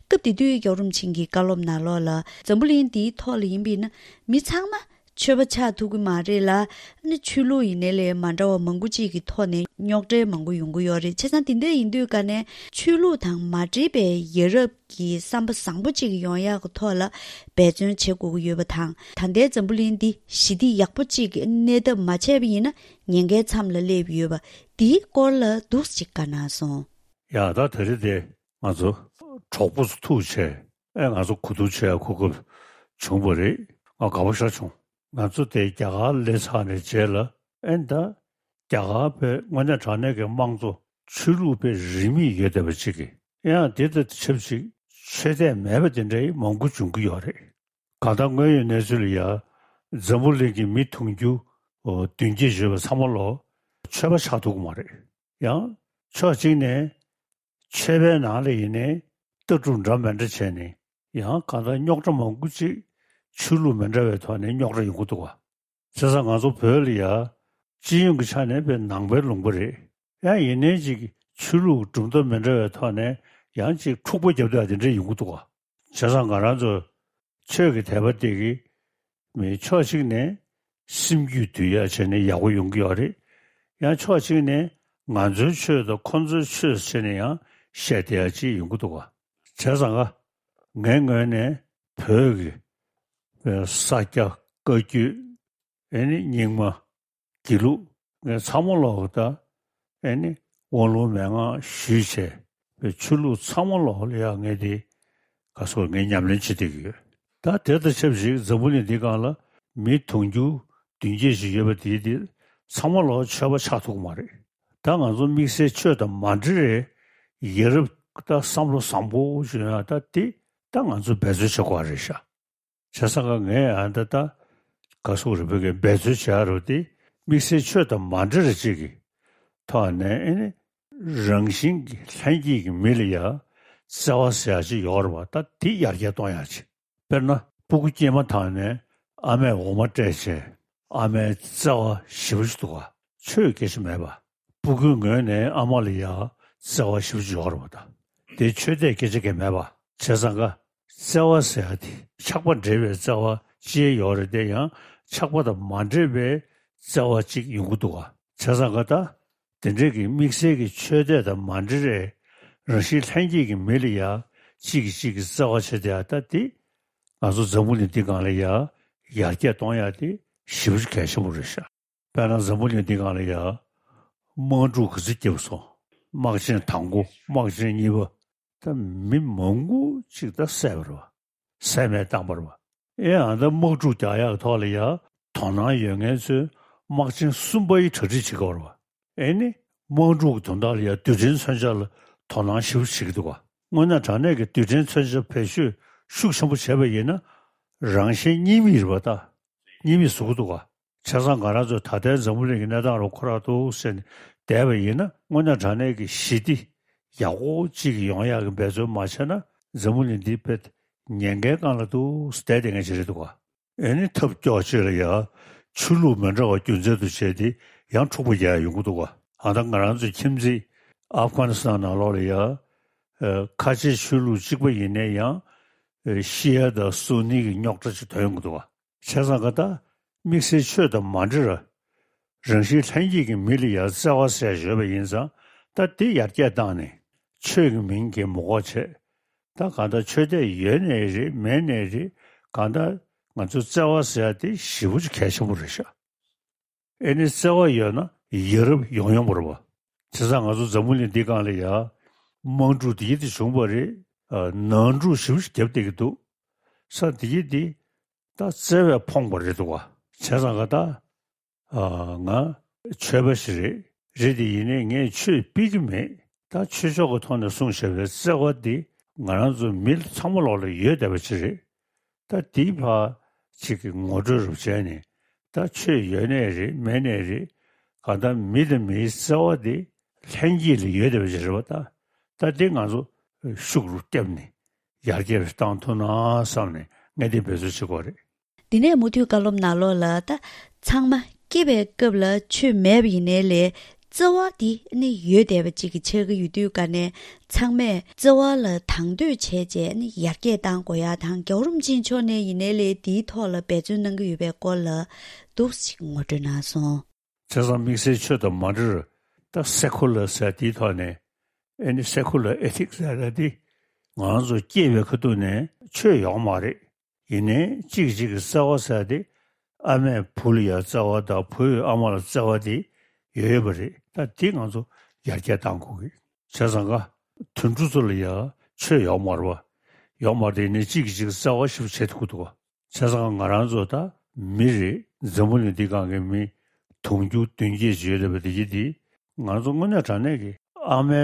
སྐབས་དེ་དུས་རྒྱལ་བ་རིན་པོ་ཆེ་གི་བཀའ་སློབ་ནང་ལོགས་ལ་འཛམ་བུ་གླིང་འདིའི་ཐོག་ལ་ཡིན་པས་ན་མི་ཚང་མ་ཆོས་པ་ཆགས་ཐུབ་ཀྱི་མ་རེད་ལ། ཨ་ནི་ཆོས་ལུགས་ཡིན་ནའི་ལས་མ་འདྲ་བ་མང་པོ་ཅིག་གི་ཐོག་ནས་རྙོག་དྲ་མང་པོ་ཡོང་གི་ཡོད་རེད། བྱས་ཙང་དེ་འདྲ་ཡིན་དུས་ཀ་ནས་ཆོས་ལུགས་དང་མ་འབྲེལ་བའི་ཡ་རབས་ཀྱི་བསམ་པ་བཟང་པོ་ཅིག་ཡོང་ཡག་གི་ཐོག་ལ་འབད་བརྩོན་བྱེད་དགོས་ཀྱི་ཡོད་པ་དང་། ད་ལྟའི་འཛམ་བུ་གླིང་འདི་ཞི་བདེ་ཡག་པོ་ཅིག་གི་གནས་ཐབས་མ་བྱས་པ་ཡིན་ན་ཉེན་ཁའི་མཚམས་ལ་སླེབས་ཡོད་པ་འདིའི་སྐོར་ལ་འདུག་ཅིག་བཀའ་གནང་སོང་། ཡ་ད་དེ་རེད་དེ། ང་ཚོ་གྲོགས་པོ་ཚོ་ཐུག་བྱས་ཨེ་ང་ཚོ་གོ་བསྡུར་བྱེད་ཡ་གོ་སྐབས་བྱུང་བ་རེད། ང་དགའ་པོ་ཞེ་དྲག་བྱུང་། ང་ཚོ་དེ་རྒྱ་གར་སླེབས་ཚར་ནས་རྗེས་ལ་ཨེ་ད་རྒྱ་གར་པའི་དངོས་གནས་དྲང་གནས་ཀྱི་དམངས་གཙོ་ཆོས་ལུགས་པའི་རིས་མེད་ཡོད་བསྡད་པ་ཅིག་གིས་ཡང་དེ་དང་ཆབས་ཅིག་ཆོས་དད་མེད་པ་དེ་འདྲའི་མང་པོ་འབྱུང་གི་ཡོད་རེད། གང་ལྟར་དངོས་ཡོད་གནས་ཚུལ་ལ་ཡ་འཛམ་བུ་གླིང་གི་མི་དུང་ཕྱུར་བདུན་བརྒྱད་ཡོད་པ་ཚང་མ་ལོ་ཆོས་པ་ཆགས་ཐུབ་ཀྱི་མ་རེད། ཡང་ཕྱོགས་གཅིག་ནས་ཆོས་པའི་ནང་ལ་ཡིན་ནའི་ལྟ་གྲུབ་འདྲ་མི་འདྲ་བྱས་ནས་ཡང་གང་ལྟར་རྙོག་དྲ་མང་པོ་ཅིག་ཆོས་ལུགས་མི་འདྲ་བའི་ཐོག་ནས་རྙོག་དྲ་ཡོང་གི་འདུག་བ། བྱས་ཙང་ང་ཚོ་བོད་ལ་ཡ་སྤྱི་ཡོངས་ཀྱི་ཆ་ནས་དཔེ་ནང་པའི་ལུང་པ་རེད། ཡང་ཡིན་ནའི་ཅིག་ཆོས་ལུགས་གྲུབ་མཐའ་མི་འདྲ་བའི་ཐོག་ནས་ཡང་ཅིག་འཁྲུག་པ་རྒྱབ་ཡ་དེ་འདྲ་ཡོང་གི་འདུག་བ། བྱས་ཙང་ང་རང་ཚོ་ཆོས་ཀྱི་དད་པ་དེ་གི་མི་ཕྱོགས་གཅིག་ནས་སེམས་རྒྱུད་འདུལ་ཡ་བྱས་ནས་ཡག་པོ་ཡོང་གི་ཡོད་རེད། ཡང་ཕྱོགས་གཅིག་ནས་ང་ཚོའི་ཆོས་དང་ཁོ་ཚོའི་ཆོས་བྱས་ནས་ཡང་བཤད་བསྡད་ཡ་ཅིག་ཡོང་གི་འདུག་བ། བྱས་ཙང་ང་ངའི་ངོས་ནས་བོད་ཀྱི་ས་སྐྱ་བཀའ་བརྒྱུད་ཨེ་ནི་རྙིང་མ་དགེ་ལུགས་ངས་ཚང་མ་ལོག་ད་ཨེ་ནི་དབང་ལུང་མན་ངག་ཞུས་བྱས་པའི་ཆོས་ལུགས་ཚང་མ་ལོག་ལ་ཡ་ངས་དེ་ག་སོགས་ངས་ཉམས་ལེན་བྱེད་བསྡད་ཀྱི་ཡོད། ད་དེ་དང་ཆབས་ཅིག་འཛམ་བུ་གླིང་འདི་སྒང་ལ་མི་དུང་ཕྱུར་བདུན་བརྒྱད་ཅིག་ཡོད་པ་དེ་དེ་ཚང་མ་ལོག་ཆོས་པ་ཆགས་ཐུབ་ཀྱི་མ་རེད། ད་ང་ཚོ་དམིགས་བསལ་ཆོས་དང་མ་འབྲེལ་བའི་ཡ་རབས་ད་བསམ་བློ་བཟང་པོ་ཞིག་ཡོང་ཡ་ད་དེ་ད་ང་ཚོ་འབད་རྩོལ་བྱེད་དགོས་རེད་ཤག་བྱས་ཙང་ཀ་ངས་ཨ་ད་ལྟ་ག་སོགས་རེ་བོད་ཀྱི་འབད་རྩོལ་བྱ་རོགས་དེ་དམིགས་བསལ་ཆོས་དང་མ་འབྲེལ་རེ་ཅིག་གི་ཐོག་ནས་ཨེ་ནི་རང་བཞིན་གྱི་ལྷན་སྐྱེས་ཀྱི་མི་ལ་ཡ་བརྩེ་བ་ཟེར་ཡ་ཅིག་ཡོད་རེད་བ། ད་དེ་ཡར་རྒྱས་གཏོང་ཡ་ཅིག་དཔེར་ན་སྤུ་གུ་སྐྱེས་མ་ཐག་ནས་ཨ་མས་འོ་མ་སྤྲད་བྱས་ཨ་མའི་བརྩེ་བ་ཞེ་པོ་ཅིག་འདུག་ག་ཆོས་སྐད་ཆ་མེད་པ། སྤུ་གུའི་ངོས་ནས་ཨ་མ་ལ་ཡ་བརྩེ་བ་ཞེ་པོ་ཅིག་ཡོད་རེད་བ། ད་དེ་ཆོས་དད་སྐད་ཆ་གང་མེད་པ། བྱས་ཙང་ཀ་བརྩེ་བ་ཟེར་ཡ་དེ་ཆགས་པ་འདྲེས་པའི་བརྩེ་བ་ཅི་ཡོད་རེད། དེ་ཡང་ཆགས་པ་དང་མ་འདྲེས་པའི་བརྩེ་བ་ཅིག་ཡོང་གི་འདུག་ག་བྱས་ཙང་ཀ་ད་དེ་འདྲའི་གི་དམིགས་བསལ་གྱི་ཆོས་དད་དང་མ་འདྲེས་པའི་རང་བཞིན་ལྷན་སྐྱེས་ཀྱི་མི་ལ་ཡ་གཅིག་གིས་གཅིག་གི་བརྩེ་བ་བྱེད་བསྡད་ཡ་ད་དེ་ང་ཚོ་འཛམ་བུ་གླིང་འདི་སྒང་ལ་ཡ་ཡར་རྒྱས་གཏོང་ཡ་དེ་ཞེ་པོ་ཅིག་གལ་ཆེན་པོ་རེད་ཤག་དཔེར་ན་འཛམ་བུ་གླིང་འདི་སྒང་ལ་ཡ་དམག་འཁྲུག་ག་ཚོད་བརྒྱབ་སོང་། དམག་ཆེན་དང་པོ་དམག་ཆེན་གཉིས་པ་ད་མི་མང་པོ་ཅིག་ད་བསད་པ་རེད་བ། བསད་རྨས་བཏང་པ་རེད་བ། ཨེ་ཨ་ད་དམག་འཁྲུག་རྒྱག་ཡག་གི་ཐོག་ལ་ཡ་དོ་སྣང་ཡོད་མཁན་ཚོས་དམག་ཆེན་གསུམ་པ་ཡི་གྲ་སྒྲིག་བྱེད་དགོས་རེད་བ། ཨེ་ནི་དམག་འཁྲུག་གི་དོན་དག་ལ་ཡ་རྡུལ་ཕྲན་མཚོན་ཆ་ལ་དོ་སྣང་ཞེ་པོ་བྱེད་ཀྱི་འདུག་བ། དངོས་གནས་དྲང་གནས་ཀྱི་རྡུལ་ཕྲན་མཚོན་ཆ་བེད་སྤྱོད་ཤུགས་ཆེན་པོ་བྱས་པ་ཡིན་ན་རང་གཞན་གཉིས་མེད་རེད་བ་ད། གཉིས་མེད་བཟོ་གི་འདུག་བ། བྱས་ཙང་ང་རང་ཚོ་ད་ལྟའི་འཛམ་བུ་གླིང་གི་གནས་སྟངས་རུ་ཁོ་རང་འདུག་ཟེར་ནས་བསྡད་པ་ཡིན་ན་དངོས་གནས་དྲང་གནས་ཀྱི་ཞི་བདེ་ཡག་པོ་གཅིག་ཡོང་ཡག་གི་འབད་བརྩོན་མ་བྱས་ན་འཛམ་བུ་གླིང་འདི་དཔེ་ཉེན་ཁའི་སྒང་ལ་འདུག་བསྡད་བསྡད་མཁན་ཞིག་རེད་འདུག་བ། ཨེ་ནི་ཐབས་སྐྱོ་ཅིག་ལ་ཡ་ཆོས་ལུགས་མི་འདྲ་བ་རྒྱུ་མཚན་དུ་བྱས་ཏེ་ཡང་འཁྲུག་པ་རྒྱག་ཡ་ཡོང་གི་འདུག་བ། ཨ་ད་ང་རང་ཚོའི་ཁྱིམ་མཚེས་ཨབ་གྷ་ནི་སི་ཐན་ནང་ལོགས་ལ་ཡ་ཁ་ཆེ་ཆོས་ལུགས་གཅིག་པ་ཡིན་ནའི་ཡང་ཤི་ཡ་དང་སུ་ནི་གི་རྙོག་དྲ་ཅིག་ཐོན་ཡོང་གི་འདུག་བ། བྱས་ཙང་ཀ་ད་དམིགས་བསལ་ཆོས་དང་མ་འབྲེལ་རང་བཞིན་ལྷན་སྐྱེས་ཀྱི་མི་ལ་ཡང་བརྩེ་བ་ཟེར་ཡོད་པ་ཡིན་ཙང་ད་དེ་ཡར་རྒྱས་བཏང་ནས་ཆོས་ཀྱི་མིང་གིས་མི་དགོས་བྱས། ད་གང་ལྟར་ཆོས་དད་ཡོད་ནའི་རེད་མེད་ནའི་རེད། གང་ལྟར་ང་ཚོས་བརྩེ་བ་ཟེར་ཡ་དེ་ཞེ་པོ་ཅིག་གལ་ཆེན་པོ་རེད་ཤག་ཨེ་ནི་བརྩེ་བ་ཡོད་ན་ཡ་རབས་ཡོང་ཡོང་བ་རེད་བ། བྱས་ཙང་ང་ཚོ་འཛམ་བུ་གླིང་འདི་སྒང་ལ་ཡ་དམག་འཁྲུག་དེ་ཡི་དེ་བྱུང་བ་རེད། ནང་འཁྲུག་ཞེ་པོ་ཅིག་བརྒྱབ་བསྡད་ཀྱི་འདུག་ས་དེ་ཡི་དེ་ད་བརྩེ་བས་ཕོངས་པ་རེད་འདུག་བ། བྱས་ཙང་ཀ་ད། ཨ། ང་ཆོས་པ་ཞིག་རེད། རེད་དེ་ཡིན་ནའི་ངས་ཆོས་སྤེལ་གྱི་མེད། ད་ཆོས་ཕྱོགས་ཀྱི་ཐོག་ནས་གསུངས་བཞག་པའི་བརྩེ་བ་འདི་ང་རང་ཚོ་མི་ཚང་མ་ལོག་ལ་ཡོད་བསྡད་པ་ཅིག་རེད། ད་དེའི་ཕར་ཅིག་གི་ངོ་སྤྲོད་རུ་བྱས་ནས་ད་ཆོས་ཡོད་ནའི་རེད་མེད་ནའི་རེད། གང་ལྟར་མི་དང་མིའི་བརྩེ་བ་འདི་ལྷན་སྐྱེས་ལ་ཡོད་བསྡད་པ་ཅིག་རེད་བ་ད། ད་འདི་ང་ཚོ་ཤུགས་རུ་བརྒྱབ་ནས་ཡར་རྒྱས་རུ་བཏང་ཐུབ་ན་བསམ་ནས་ངས་འདི་འབད་རྩོལ་བྱེད་དགོས་རེད། འདི་ནས་མུ་མཐུད་བཀའ་སློབ་ནང་ལོགས་ལ་ད་ཚང་མ་སྐྱེས་པའི་སྐབས་ལ་ཆོས་མེད་པ་ཡིན་ནའི་ལས་བརྩེ་བ་འདི་ནི་ཡོད་བསྡད་པ་ཅིག་གི་ཆགས་ཀྱི་ཡོད་དུས་ཀ་ནས་ཚང་མས་བརྩེ་བ་ལ་དང་དོད་བྱས་རྗེས་ནི་ཡར་རྒྱས་བཏང་དགོས་ཡ་དང་རྒྱལ་བ་རིན་པོ་ཆེ་མཆོག་ནས་ཡིན་ནའི་ལས་འདིའི་ཐོག་ལ་འབད་བརྩོན་གནང་གི་ཡོད་པའི་སྐོར་ལ་འདུག་ཅིག་ངོ་སྤྲོད་གནང་སོང་། བྱས་ཙང་དམིགས་བསལ་ཆོས་དང་མ་འབྲེལ་ད་སེ་ཁུ་ལར་ཟེར་དེའི་ཐོག་ནས་ཨེ་ནི་སེ་ཁུ་ལར་ཨེ་ཐིག་ཟེར་ཡ་དེ་ང་རང་ཚོ་སྐྱེས་པའི་ཁ་ཐུག་ནས་ཆོས་ཡོད་མ་རེད། ཡིན་ནའི་གཅིག་གིས་གཅིག་གི་བརྩེ་བ་ཟེར་ཡ་དེ་ཨ་མས་བུ་ལ་ཡ་བརྩེ་བ་དང་བུས་ཨ་མ་ལ་བརྩེ་བ་དེ་ཡོད་ཡོད་པ་རེད། ད་དེ་ང་ཚོ་ཡར་རྒྱས་གཏང་དགོས་ཀྱི། བྱས་ཙང་ཀ་དུད་འགྲོ་ཚོ་ལ་ཡ་ཆོས་ཡོད་མ་རེད་བ། ཡོད་མ་རེད་དེ་ཡིན་ནའི་གཅིག་གིས་གཅིག་གི་བརྩེ་བ་ཞིབ་བྱེད་ཐུབ་ཀྱི་འདུག་བ། བྱས་ཙང་ང་རང་ཚོ་ད་མི་རེད། འཛམ་བུ་གླིང་འདི་སྒང་གི་མི་དུང་ཕྱུར་བདུན་བརྒྱད་ཅིག་ཡོད་རེད་པ། དེ་གི་དེ་ང་ཚོ་དངོས་གནས་དྲང་གནས་ཀྱི་ཨ་མའི་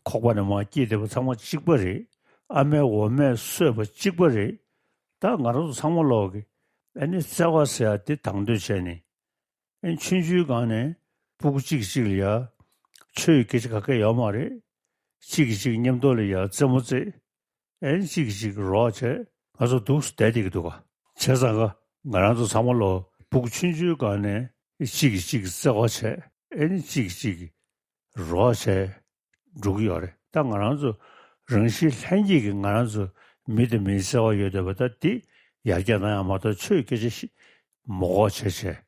ཁོག་པ་ནས་མར་སྐྱེས་བསྡད་པ་ཚང་མ་གཅིག་པ་རེད། ཨ་མའི་འོ་མས་གསོས་པ་གཅིག་པ་རེད། ད་ང་རང་ཚོ་ཚང་མ་ལོག་གི་ཨ་ནི་བརྩེ་བ་ཟེར་ཡ་དེ་དང་དོད་བྱས་ནས་ཨ་ནི་ཆུང་ཆུང་སྒང་ནས་སྤུ་གུ་གཅིག་གིས་གཅིག་ལ་ཡ་ཆོས་ཀྱི་སྐད་ཆ་ག་གེ་ཡོད་མ་རེད། གཅིག་གིས་གཅིག་མཉམ་དུ་ལ་ཡ་རྩེད་མོ་རྩེ། ཨེ་གཅིག་གིས་གཅིག་རོགས་བྱས། ང་ཚོ་འདུག་སེ་བསྡད་བསྡད་ཀྱི་འདུག་ག་བྱས་ཙང་ཀ་ང་རང་ཚོ་ཚང་མ་ལོ་སྤུ་གུ་ཆུང་ཆུང་སྒང་ནས་གཅིག་གིས་གཅིག་གི་བརྩེ་བ་བྱས། ཨེ་ནི་གཅིག་གིས་གཅིག་གི་རོགས་བྱས་འགྲོ་གི་ཡོད་རེད། ད་ང་རང་ཚོ་རང་བཞིན་ལྷན་སྐྱེས་ཀྱི་ང་རང་ཚོ་མི་དང་མིའི་བརྩེ་བ་ཡོད་བསྡད་པ་ད་འདི་ཡར་རྒྱས་གཏང་ཡག་མ་གཏོགས་ཆོས་སྐད་ཆ་ཞིག་མ་གོ་བྱས་བྱས།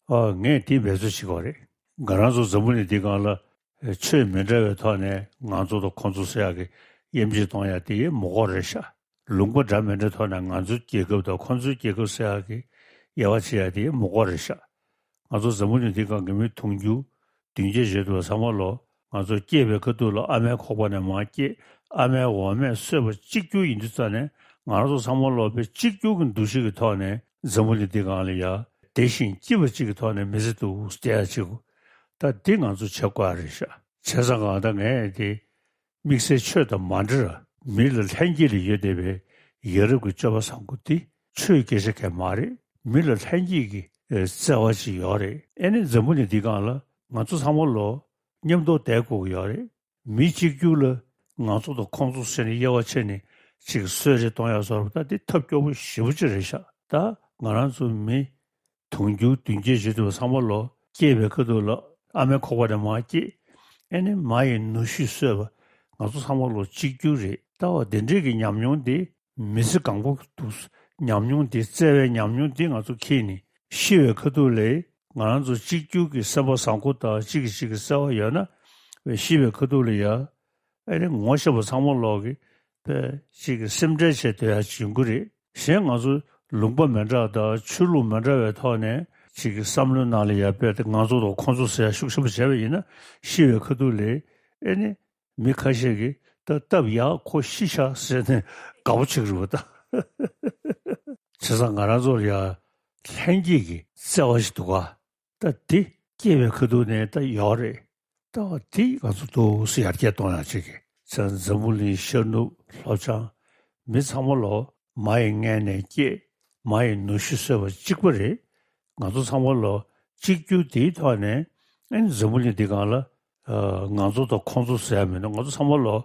ཨ་ངས་འདི་འབད་རྩོལ་བྱེད་དགོས་རེད། ང་རང་ཚོ་འཛམ་བུ་གླིང་འདི་སྒང་ལ་ཆོས་མི་འདྲ་བའི་ཐོག་ནས་ང་ཚོ་དང་ཁོང་ཚོ་ཟེར་ཡག་གི་དབྱེ་འབྱེད་གཏོང་ཡག་དེ་མི་དགོས་རེད་ཤག་ལུང་པ་འདྲ་མི་འདྲའི་ཐོག་ནས་ང་ཚོའི་རྒྱལ་ཁབ་དང་ཁོང་ཚོའི་རྒྱལ་ཁབ་ཟེར་ཡག་གི་དབྱེ་བ་ཕྱེ་ཡག་དེ་མི་དགོས་རེད་ཤག་ང་ཚོ་འཛམ་བུ་གླིང་འདི་སྒང་གི་མི་དུང་ཕྱུར་བདུན་བརྒྱད་ཡོད་འདུག་བ། ཚང་མ་ལོ་ང་ཚོ་སྐྱེས་པའི་ཁ་ཐུག་ལ་ཨ་མའི་ཁོག་པ་ནས་མར་སྐྱེས། ཨ་མའི་འོ་མས་གསོས་པ་གཅིག་གྱུར་ཡིན་དུས་ཙང་ནས་ང་རང་ཚོ་ཚང་མ་ལོ་དཔེ་གཅིག་གྱུར་གྱི་འདུ་ཤེས་ཀྱི་ཐོག་ནས་འཛམ་བུ་གླིང་འདི་སྒང་ལ་ཡ་བདེ་ཞིང་སྐྱིད་པ་གཅིག་གི་ཐོག་ནས་མི་ཚེ་འདུག་སེ་བསྡད་ཡག་ཅིག་ད་འདི་ང་ཚོ་བྱེད་དགོས་རེད་ཤག་བྱས་ཙང་ཀ་ད་ངས་དེ། དམིགས་བསལ་ཆོས་དང་མ་འབྲེལ་བར་མི་ལ་ལྷན་སྐྱེས་ལ་ཡོད་བསྡད་པའི་ཡ་རབས་ཀྱི་སྤྱོད་པ་བཟང་པོ་འདི་ཆོས་སྐད་ཆ་གང་ཡང་མ་རེད། མི་ལ་ལྷན་སྐྱེས་ཀྱི་ཨེ་བརྩེ་བ་ཅིག་ཡོད་རེད། ཨེ་ནི་འཛམ་བུ་གླིང་འདི་སྒང་ལ་ང་ཚོ་ཚང་མ་ལོ་མཉམ་དུ་བསྡད་དགོས་ཀྱི་ཡོད་རེད། མི་གཅིག་གྱུར་ལ་ང་ཚོ་དང་ཁོང་ཚོ་ཟེར་ནས་དབྱེ་བ་ཕྱེ་ནས་ཅིག་གསོད་རེས་གཏོང་ཡག་བཟོ་འདྲ་ད་འདི་ཐབས་སྐྱོ་པོ་ཞེ་པོ་ཅིག་རེད་ཤག་ད་ང་རང་ཚོ་མི། དུང་ཕྱུར་བདུན་བརྒྱད་ཡོད་དུས་ཚང་མ་ལོ་སྐྱེས་པའི་ཁ་ཐུག་ལ་ཨ་མའི་ཁོག་པ་ནས་མར་སྐྱེས། ཨེ་ནི་མ་ཡི་ནུ་ཞོས་གསོས་པ་ང་ཚོ་ཚང་མ་ལོ་གཅིག་གྱུར་རེད། ད་བ་དེ་འདྲས་ཀྱི་ཉམས་མྱོང་དེ་མི་ཚེ་གང་པོ་འདུག་ཉམས་མྱོང་དེ་བརྩེ་བའི་ཉམས་མྱོང་དེ་ང་ཚོ་འཁྱེར་ནས་ཤི་བའི་ཁ་ཐུག་ལ་ང་རང་ཚོ་གཅིག་གྱུར་གྱི་སེམས་པ་བཟང་པོ་དང་གཅིག་གིས་གཅིག་གི་བརྩེ་བ་ཡོད་ན་ཤི་བའི་ཁ་ཐུག་ལ་ཡ། ཨེ་ནི་ངོ་ཤེས་པ་ཚང་མ་ལོག་གི་དཔེ་ཅིག་གི་སེམས་ཁྲལ་བྱེད་སྡོད་ཡ་ཅིག་ཡོང་གི་རེད། གཞན་ང་ཚོ་ལུང་པ་མི་འདྲ་དང་ཆོས་ལུགས་མི་འདྲ་བའི་ཐོག་ནས་ཅིག་གི་བསམ་བློའི་ནང་ལ་ཡ་དཔེ་དེ་ང་ཚོ་དང་ཁོང་ཚོ་ཟེར་ཡ་ཤུགས་ཆེན་པོ་བྱས་པ་ཡིན་ན་ཤི་བའི་ཁ་ཐུག་ལ་ཨེ་ནི་མི་ཁ་ཤས་ཀྱིས་ད་སྟབས་ཡག་ཁོ་ཤི་ཤག་ཟེར་ནས་དགའ་པོ་བྱེད་ཀྱི་རེད་པ་ད། བྱས་ཙང་ང་རང་ཚོ་ལ་ཡ་ལྷན་སྐྱེས་ཀྱི་བརྩེ་བ་ཞིག་འདུག་ག་ད་དེ་སྐྱེས་པའི་ཁ་ཐུག་ནས་ད་ཡོད་རེད། ད་དེ་ང་ཚོ་ཏོག་ཙམ་ཡར་རྒྱས་གཏོང་ཡག་ཅིག་གི་ཚེ་འཛམ་བུ་གླིང་ཤར་ནུབ་ལྷོ་བྱང་མི་ཚང་མ་ལོ་མ་ཡི་མངལ་ནས་སྐྱེས། མ་ཡི་ནུ་ཞོ་ཟོས་པ་གཅིག་པ་རེད། ང་ཚོ་ཚང་མ་ལོ་གཅིག་གྱུར་དེའི་ཐོག་ནས་ཨ་ནི་འཛམ་བུ་གླིང་འདི་སྒང་ལ་ཨ་ང་ཚོ་དང་ཁོང་ཚོ་ཟེར་ཡ་མི་འདུག་ང་ཚོ་ཚང་མ་ལོ་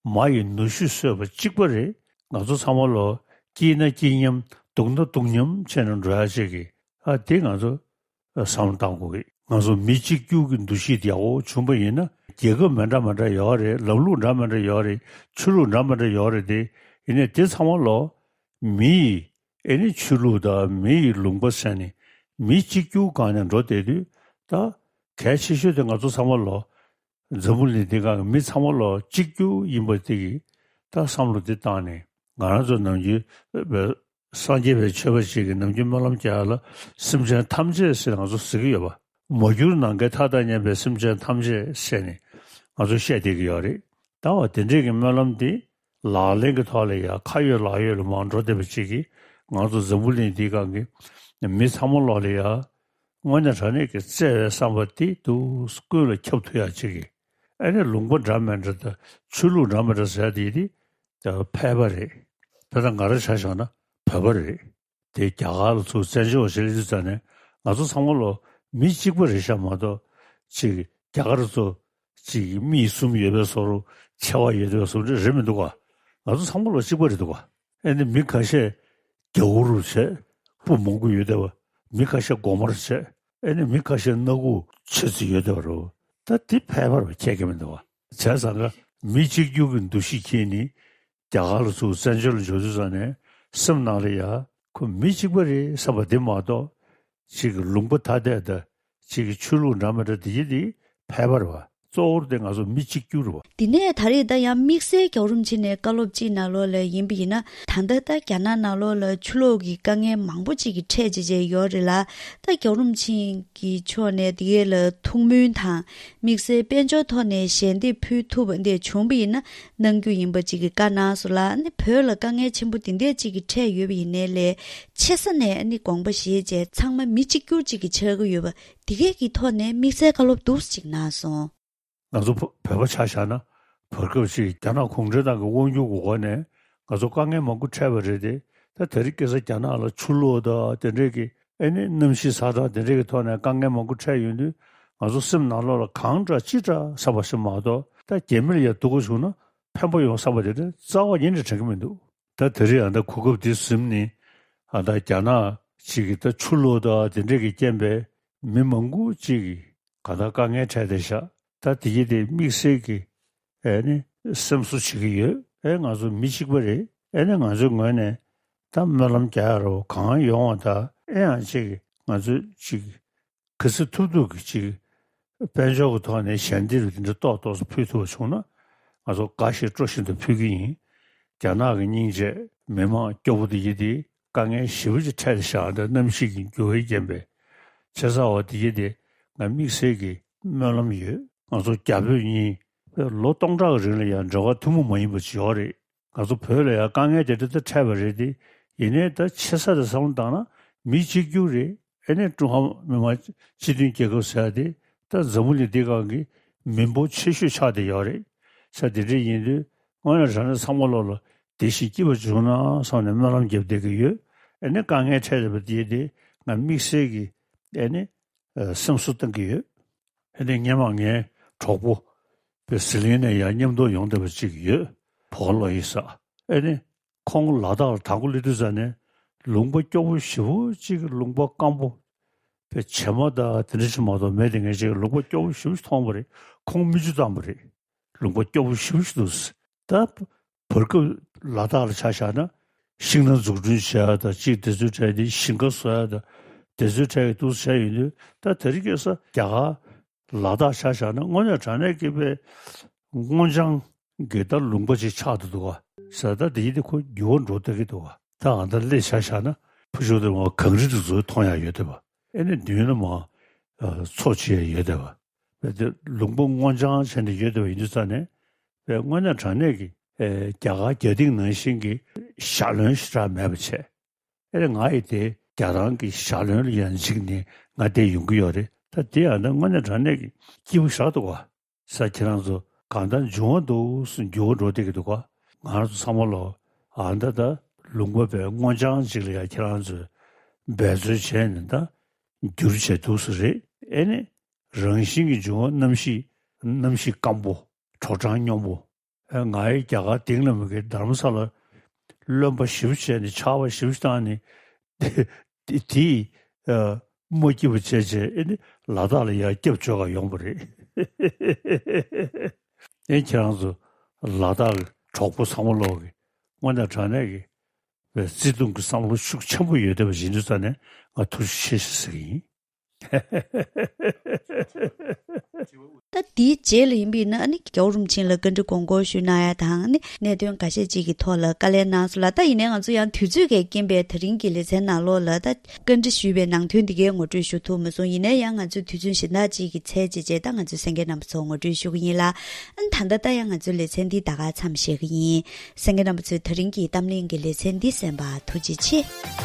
མ་ཡི་ནུ་ཞོ་ཟོས་པ་གཅིག་པ་རེད། ང་ཚོ་ཚང་མ་ལོ་སྐྱིད་ན་སྐྱིད་མཉམ་སྡུག་ན་སྡུག་མཉམ་བྱས་ནས་འགྲོ་ཡག་ཅིག་གི་ཨ་དེ་ང་ཚོ་བསམ་བློ་བཏང་དགོས་ཀྱི། ང་ཚོ་མི་གཅིག་གྱུར་གྱི་འདུ་ཤེས་དེ་ཡག་པོ་བྱུང་པ་ཡིན་ན། རྒྱལ་ཁབ་མི་འདྲ་མི་འདྲ་ཡོད་རེད། ལམ་ལུགས་འདྲ་མི་འདྲ་ཡོད་རེད། ཆོས་ལུགས་འདྲ་མི་འདྲ་ཡོད་རེད་དེ། ཡིན་ནའི་དེ་ཚང་མ་ལོ་མི་ཡི་ཨེ་ནི་ཆོས་ལུགས་དང་མི་ཡི་ལུང་པ་ཟེར་ནས་མི་གཅིག་གྱུར་སྒང་ནས་འགྲོ་བསྡད་དུས། ད་གལ་ཆེ་ཤོས་དེ་ང་ཚོ་ཚང་མ་ལོ་འཛམ་བུ་གླིང་འདི་སྒང་གི་མི་ཚང་མ་ལོ་གཅིག་གྱུར་ཡིན་པ་དེ་གི་ད་བསམ་བློ་དེ་བཏང་ནས། ང་རང་ཚོ་ནམ་རྒྱུན་སངས་རྒྱས་པའི་ཆོས་པ་ཞིག་གིས་ནམ་རྒྱུན་སྨོན་ལམ་རྒྱག་ཡ་ལ་སེམས་ཅན་ཐམས་ཅད་ཟེར་ང་ཚོ་ཟེར་གྱི་ཡོད་པ། མ་གྱུར་ནམ་མཁའི་མཐའ་དང་མཉམ་པའི་སེམས་ཅན་ཐམས་ཅད་ཟེར་ནས་ང་ཚོ་བཤད་བསྡད་ཀྱི་ཡོད་རེད། ད་བ་དེ་འདྲས་ཀྱི་སྨོན་ལམ་དེ་ལག་ལེན་གྱི་ཐོག་ལ་ཡ་ཁ་ཡོད་ལག་ཡོད་ལ་མར་འགྲོ་བསྡད་པ་ཅིག་གིས། ང་ཚོ་འཛམ་བུ་གླིང་འདིའི་སྒང་གི་མི་ཚང་མ་ལོག་ལ་ཡ་དངོས་གནས་དྲང་གནས་ཀྱི་བརྩེ་བའི་བསམ་པ་དེ་དུས་ཀུན་ལ་ཁྱབ་ཐུབ་ཡག་ཅིག་གི། ཨ་ནི་ལུང་པ་འདྲ་མི་འདྲ་དང་ཆོས་ལུགས་འདྲ་མི་འདྲ་ཟེར་ཡ་དེ་དེ་ཕལ་པ་རེད། དཔེར་ན་ང་རང་ཆ་བཞག་ན་བོད་པ་རེད། དེ་རྒྱ་གར་ལ་ཚུར་བཙན་བྱོལ་བ་ཞིག་སླེབས་དུས་ཙ་ནས་ང་ཚོ་ཚང་མ་ལོ་མི་གཅིག་པ་རེད་ཤག་མ་གཏོགས། ཅིག་རྒྱ་གར་ཚོ་ཅིག་མི་གསུམ་ཡོད་པའི་བཟོ་འདྲ། ཆེ་བ་ཡོད་པའི་བཟོ་འདྲ་རེད་མི་འདུག་ག་ང་ཚོ་ཚང་མ་ལོ་གཅིག་པ་རེད་འདུག་ག་ཨེ་ནི་མི་ཁ་ཤས་རྒྱ་བོ་རུ་བྱས། སྤུ་མང་པོ་ཡོད་བསྡད་པ། མི་ཁ་ཤས་གོང་མར་བྱས། ཨེ་ནི་མི་ཁ་ཤས་སྣ་ཁུག་ཆེ་ཙམ་ཡོད་བསྡད་པ་རེད། ད་དེ་ཕལ་པར་ཁྱད་ཀྱི་མི་འདུག་ག་བྱས་ཙང་ཀ་མི་གཅིག་གྱུར་གྱི་འདུ་ཤེས་འཁྱེར་ནས་རྒྱ་གར་ལ་ཚུར་བཙན་བྱོལ་ལ་འབྱོར་དུས་ཙ་ནས་སེམས་ནང་ལ་ཡ་ཁོ་མི་གཅིག་པ་རེད་བསམ་པ་དེ་མ་གཏོགས། གཅིག་གི་ལུང་པ་ཐ་དད་དང་གཅིག་གི་ཆོས་ལུགས་འདྲ་མི་འདྲ་དེ་ཡི་དེ་ཕལ་པར་བ། གཙོ་བོར་དེ་ང་ཚོ་མི་གཅིག་གྱུར་བ། དེ་ནས་ད་རེས་ད་ཡང་དམིགས་བསལ་རྒྱལ་བ་རིན་པོ་ཆེ་ནས་བཀའ་སློབ་ཅིག་ནང་ལོགས་ལ་ཡིན་པ་ཡིན་ན། ད་ལྟ་ད་རྒྱ་ནག་ནང་ལོགས་ལ་ཆུ་ལོག་གི་དཀའ་ངལ་མང་པོ་ཅིག་གི་འཕྲད་བྱེད་བྱས་ཡོད་རེད་ལ། ད་རྒྱལ་བ་རིན་པོ་ཆེ་གི་ཕྱོགས་ནས་དེ་གས་ལ་ཐུགས་སྨོན་དང་དམིགས་བསལ་དཔལ་འབྱོར་ཐོག་ནས་ཞལ་འདེབས་ཕུལ་ཐུབ་པ་འདི་བྱུང་པ་ཡིན་ན་གནང་རྒྱུ་ཡིན་པ་ཅིག་གི་བཀའ་གནང་སོང་ལ། ཨ་ནི་བོད་ལ་དཀའ་ངལ་ཆེན་པོ་འདི་འདྲས་ཅིག་གི་འཕྲད་ཡོད་པ་ཡིན་ནའི་ལས་ཆེ་ས་ནས་ཨ་ནི་དགོངས་པ་བཞེས་བྱས་ཚང་མ་མི་གཅིག་གྱུར་ཅིག་གི་ཆགས་ཀྱི་ཡོད་པ་འདི་གས་ཀྱི་ཐོག་ནས་དམིགས་བསལ་བཀའ་སློབ་འདུག་ཅིག་གནང་སོང་། ང་ཚོ་བོད་པ་ཆ་བཞག་ན་བར་སྐབས་ཤིག་རྒྱ་ནག་གུང་ཁྲན་ཏང་གི་དབང་སྒྱུར་གྱི་འོག་ནས་ང་ཚོ་དཀའ་ངལ་མང་པོ་འཕྲད་པ་རེད་དེ། ད་དེ་རིང་ཁ་སང་རྒྱ་ནག་ལ་ཆུ་ལོག་དང་དེ་འདྲས་ཀྱི་ཨེ་ནི་གནམ་གཤིས་ཚ་གྲང་དེ་འདྲས་ཀྱི་ཐོག་ནས་དཀའ་ངལ་མང་པོ་འཕྲད་ཡོང་དུས་ང་ཚོ་སེམས་ནང་ལོགས་ལ་གང་དྲག་ཅི་དྲག་བསམ་པ་ཞིག་མ་གཏོགས། ད་རྒྱ་མི་ལ་ཡ་སྡུག་པོ་བྱུང་ན་ཕན་པ་ཡོང་བསམ་པ་དེ་འདྲ་རྩ་བ་ཉིད་ནས་དྲན་གྱི་མི་འདུག་ད་དེ་རིང་ཨ་ད་གོ་སྐབས་འདི་ཟིན་ནས་ཨ་ད་རྒྱ་ནག་ཅིག་གི་ད་ཆུ་ལོག་དང་དེ་འདྲས་ཀྱི་རྐྱེན་པས་མི་མང་པོ་ཅིག་གི་ག་ད་དཀའ་ངལ་འཕྲད་བསྡད་ཤག་ད་དེ་གི་དེ་དམིགས་བསལ་གྱི་ཨེ་ནི་སེམས་གསོ་བྱེད་ཀྱི་ཡོད། ཨེ་ང་ཚོ་མི་གཅིག་པ་རེད། ཨེ་ནི་ང་ཚོའི་ངོས་ནས་ད་སྨོན་ལམ་རྒྱག་ཡ་རོ་གང་ཡོང་བ་ད་ཨེ་ཡང་ཅིག་ང་ཚོ་ཅིག་ག་ཚོད་ཐུབ་ཐུབ་ཀྱི་ཅིག་དཔལ་འབྱོར་གྱི་ཐོག་ནས་ཞལ་འདེབས་འདི་འདྲ་ཏོག་ཏོག་ཙམ་ཕུལ་ཐུབ་པ་བྱུང་ན་ང་ཚོ་དགའ་ཞིང་སྤྲོ་བཞིན་དུ་ཕུལ་གྱི་ཡིན། རྒྱ་ནག་གི་སྙིང་རྗེ་མི་མང་སྐྱོ་པོ་དེ་ཡི་དེ་དཀའ་ངལ་ཞེ་པོ་ཅིག་འཕྲད་བཞག་འདི་གནམ་གཤིས་ཀྱི་འགྱུར་བའི་རྐྱེན་པས། བྱས་ཙང་བ་དེ་ཡི་དེ་ང་དམིགས་བསལ་གྱི་སྨོན་ལམ་ཡོད། ང་ཚོ་རྒྱ་བོད་གཉིས་ལོ་སྟོང་ཕྲག་གི་རིང་ལ་ཡང་འབྲེལ་བ་ཐུན་མོང་མ་ཡིན་པ་ཅིག་ཡོད་རེད། ང་ཚོ་བོད་ལ་ཡང་དཀའ་ངལ་དེ་འདྲ་ད་འཕྲད་པ་རེད་དེ། ཡིན་ནའི་ད་ཆེ་ས་དེ་བསམ་བློ་བཏང་ན་མི་གཅིག་གྱུར་རེད། ཨེ་ནས་ཀྲུང་ཧྭ་མི་དམངས་སྤྱི་མཐུན་རྒྱལ་ཁབ་ཟེར་ཡ་དེ་ད་འཛམ་བུ་གླིང་འདི་སྒང་གི་མི་འབོར་ཆེ་ཤོས་ཆགས་བསྡད་ཡོད་རེད། ས་དེ་འདྲ་ཡིན་དུས་དངོས་གནས་དྲང་གནས་ཚང་མ་ལོག་ལ་བདེ་ཞིང་སྐྱིད་པ་བྱུང་ན་བསམ་ནས་སྨོན་ལམ་རྒྱབ་བསྡད་ཀྱི་ཡོད། ཨེ་ནས་དཀའ་ངལ་འཕྲད་བསྡད་པ་དེ་དེ་ང་དམིགས་བསལ་གྱི་ཨེ་ནས་སེམས་གསོ་གཏོང་གི་ཡོད། ཨེ་ནས་སྔོན་མ་ངའི་གྲོགས་པོ་པའི་ཟི་ལིང་ནས་ཡང་མཉམ་དུ་ཡོང་བསྡད་པ་ཅིག་ཡོད། བོ་ལོ་ཡི་ས། ཨེ་ནས་ཁོང་ལ་དྭགས་ལ་དང་པོ་སླེབས་དུས་ཙ་ནས་ལུང་པ་སྐྱོ་པོ་ཞེ་པོ་ཅིག་གི་ལུང་པ་སྐམ་པོ་པའི་བྱེ་མ་དང་དེ་འདྲ་ཅིག་མ་གཏོགས་མེད་དེ། ངས་ཅིག་ལུང་པ་སྐྱོ་པོ་ཞེ་པོ་ཅིག་མཐོང་བ་རེད། ཁོང་མིག་ཆུ་བཏང་བ་རེད། ལུང་པ་སྐྱོ་པོ་ཞེ་པོ་ཅིག་འདུག་ད་བར་སྐབས་ལ་དྭགས་ལ་ཆ་བཞག་ན་ཤིང་ནགས་འཛུགས་སྐྲུན་བྱས་དང་ཅིག་དེ་ཚོའི་གྲས་དེ་ཞིང་ཁ་བཟོ་ཡ་དང་དེ་ཚོའི་གྲས་ཀྱི་འདུག་བྱས་ཡོད་དུས། ད་དེ་རིང་ཁ་སང་རྒྱ་གར་ལ་དྭགས་ཆ་བཞག་ན་དངོས་གནས་དྲང་གནས་ཀྱི་པའི་སྔོ་ལྗང་གི་ད་ལུང་པ་ཅིག་ཆགས་འདུག་འདུག་ག་ས། ད་དེ་ཡིན་དེ་ཁོ་འགྱུར་བ་འགྲོ་ལྟ་གི་འདུག་ག་ད་ཨ་ད་སླེ་ཆ་བཞག་ན་ཕུ་ཆུ་དེ་མ་གངས་རི་དེ་ཚོ་མཐོང་ཡ་ཡོད་དེ་བ། ཨེ་ནས་མདུན་ལ་མ་མཚོ་ཆེ་ཡ་ཡོད་དེ་བ། པའི་དེ་ལུང་པ་སྔོ་ལྗང་བྱས་ནས་ཡོད་དེ་བ། ཡིན་དུས་ཙ་ནས་པའི་དངོས་གནས་དྲང་གནས་ཀྱི་ཨེ་རྒྱ་གར་རྒྱ་སྟེང་ནང་བཞིན་གྱི་ཞྭ་ལོན་ཞེ་དྲག་མེད་པ་བྱས། ཨེ་རེད། ང་ཡི་དེ་རྒྱ་ཐང་གི་ཞྭ་ལོན་ལ་ཡང་འཇིགས་ནས་ང་དེ་ཡོང་གི་ཡོད་རེད། ད་དེ་ཡང་ད་དངོས་གནས་དྲང་གནས་ཀྱི་སྐྱིད་པོ་ཞེ་དྲག་འདུག་ག་ས། ཁྱེད་རང་ཚོ་གང་ལྟར་འབྱུང་བ་འདུག་སུ་འགྱུར་བ་འགྲོ་བསྡད་ཀྱི་འདུག་ག་ང་རང་ཚོ་ཚང་མ་ལོ་ཨ་ད་ད་ལུང་པ་བའི་སྔོ་ལྗང་ཅིག་ལ་ཡང་ཁྱེད་རང་ཚོས་འབད་རྩོལ་བྱས་ནས་ད་འགྱུར་བྱས་འདུག་སུ་རེད། ཨེ་ནི་རང་བཞིན་གྱི་འབྱུང་བ་གནམ་གཤིས་གནམ་གཤིས་སྐམ་པོ་གྲོག་གྲང་སྙོམས་པོ། ཨེ་ང་ཡི་རྒྱ་གར་དེང་ལ་མི་དགེ་རྡ་རམ་ས་ལ་རློན་པ་ཞིབ་བྱས་ནས་ཆར་པ་ཞིབ་བཏང་ནས་དེ་དེ་ཨ་མ་སྐྱིད་པ་བྱས་བྱས་ཨེ་ནི་ལ་དྭགས་ལ་ཡར་སྐྱབས་བཅོལ་ག་ཡོང་བ་རེད། ཨེ་ཁྱེད་རང་ཚོ་ལ་དྭགས་ཀྱི་གྲོགས་པོ་ཚང་མ་ལོག་གི་དངོས་གནས་དྲང་གནས་ཀྱི་བརྩེ་དུང་གི་བསམ་བློ་ཤུགས་ཆེན་པོ་ཡོད་བསྡད་པ་ཡིན་དུས་ཙང་ནས་ང་ཐུགས་རྗེ་ཆེ་ཞེས་ཟེར་གྱི་ཡིན། ད་དེའི་རྗེས་ལ་ཡིན་པས་ན་ཨ་ནི་རྒྱལ་བ་རིན་པོ་ཆེ་ལ་བཀའ་འདྲི་དགོངས་སྐོར་ཞུ་གནང་ཡ་དང་ཨ་ནི་གནད་དོན་འགའ་ཤས་ཅིག་གི་ཐོག་ལ་བཀའ་ལན་གནང་སོང་ལ། ད་ཡིན་ནའི་ང་ཚོ་ཡང་དུས་ཚོད་ཀྱི་རྐྱེན་པས་དེ་རིང་གི་ལེ་ཚན་ནང་ལོགས་ལ་ད་བཀའ་འདྲི་ཞུས་པའི་ནང་དོན་འདི་གའི་ངོ་སྤྲོད་ཞུ་ཐུབ་མ་སོང་། ཡིན་ནའི་ཡང་ང་ཚོས་དུས་ཚོད་གཞན་དག་ཅིག་གི་ཚད་ཅིག་བྱས་ད་ང་ཚོས་གསན་མཁན་རྣམ་པ་ཚོ་ངོ་སྤྲོད་ཞུ་གི་ཡིན་ལ། ཨ་ནི་ད་ལྟ་ད་ཡང་ང་ཚོའི་ལེ་ཚན་འདི་ད་ག་མཚམས་བཞག་གི་ཡིན། གསན་མཁན་རྣམ་པ་ཚོས་དེ་རིང་གི་གཏམ་གླེང་གི་ལེ་ཚན་འདི་གསན་པར་ཐུགས་རྗེ་ཆེ།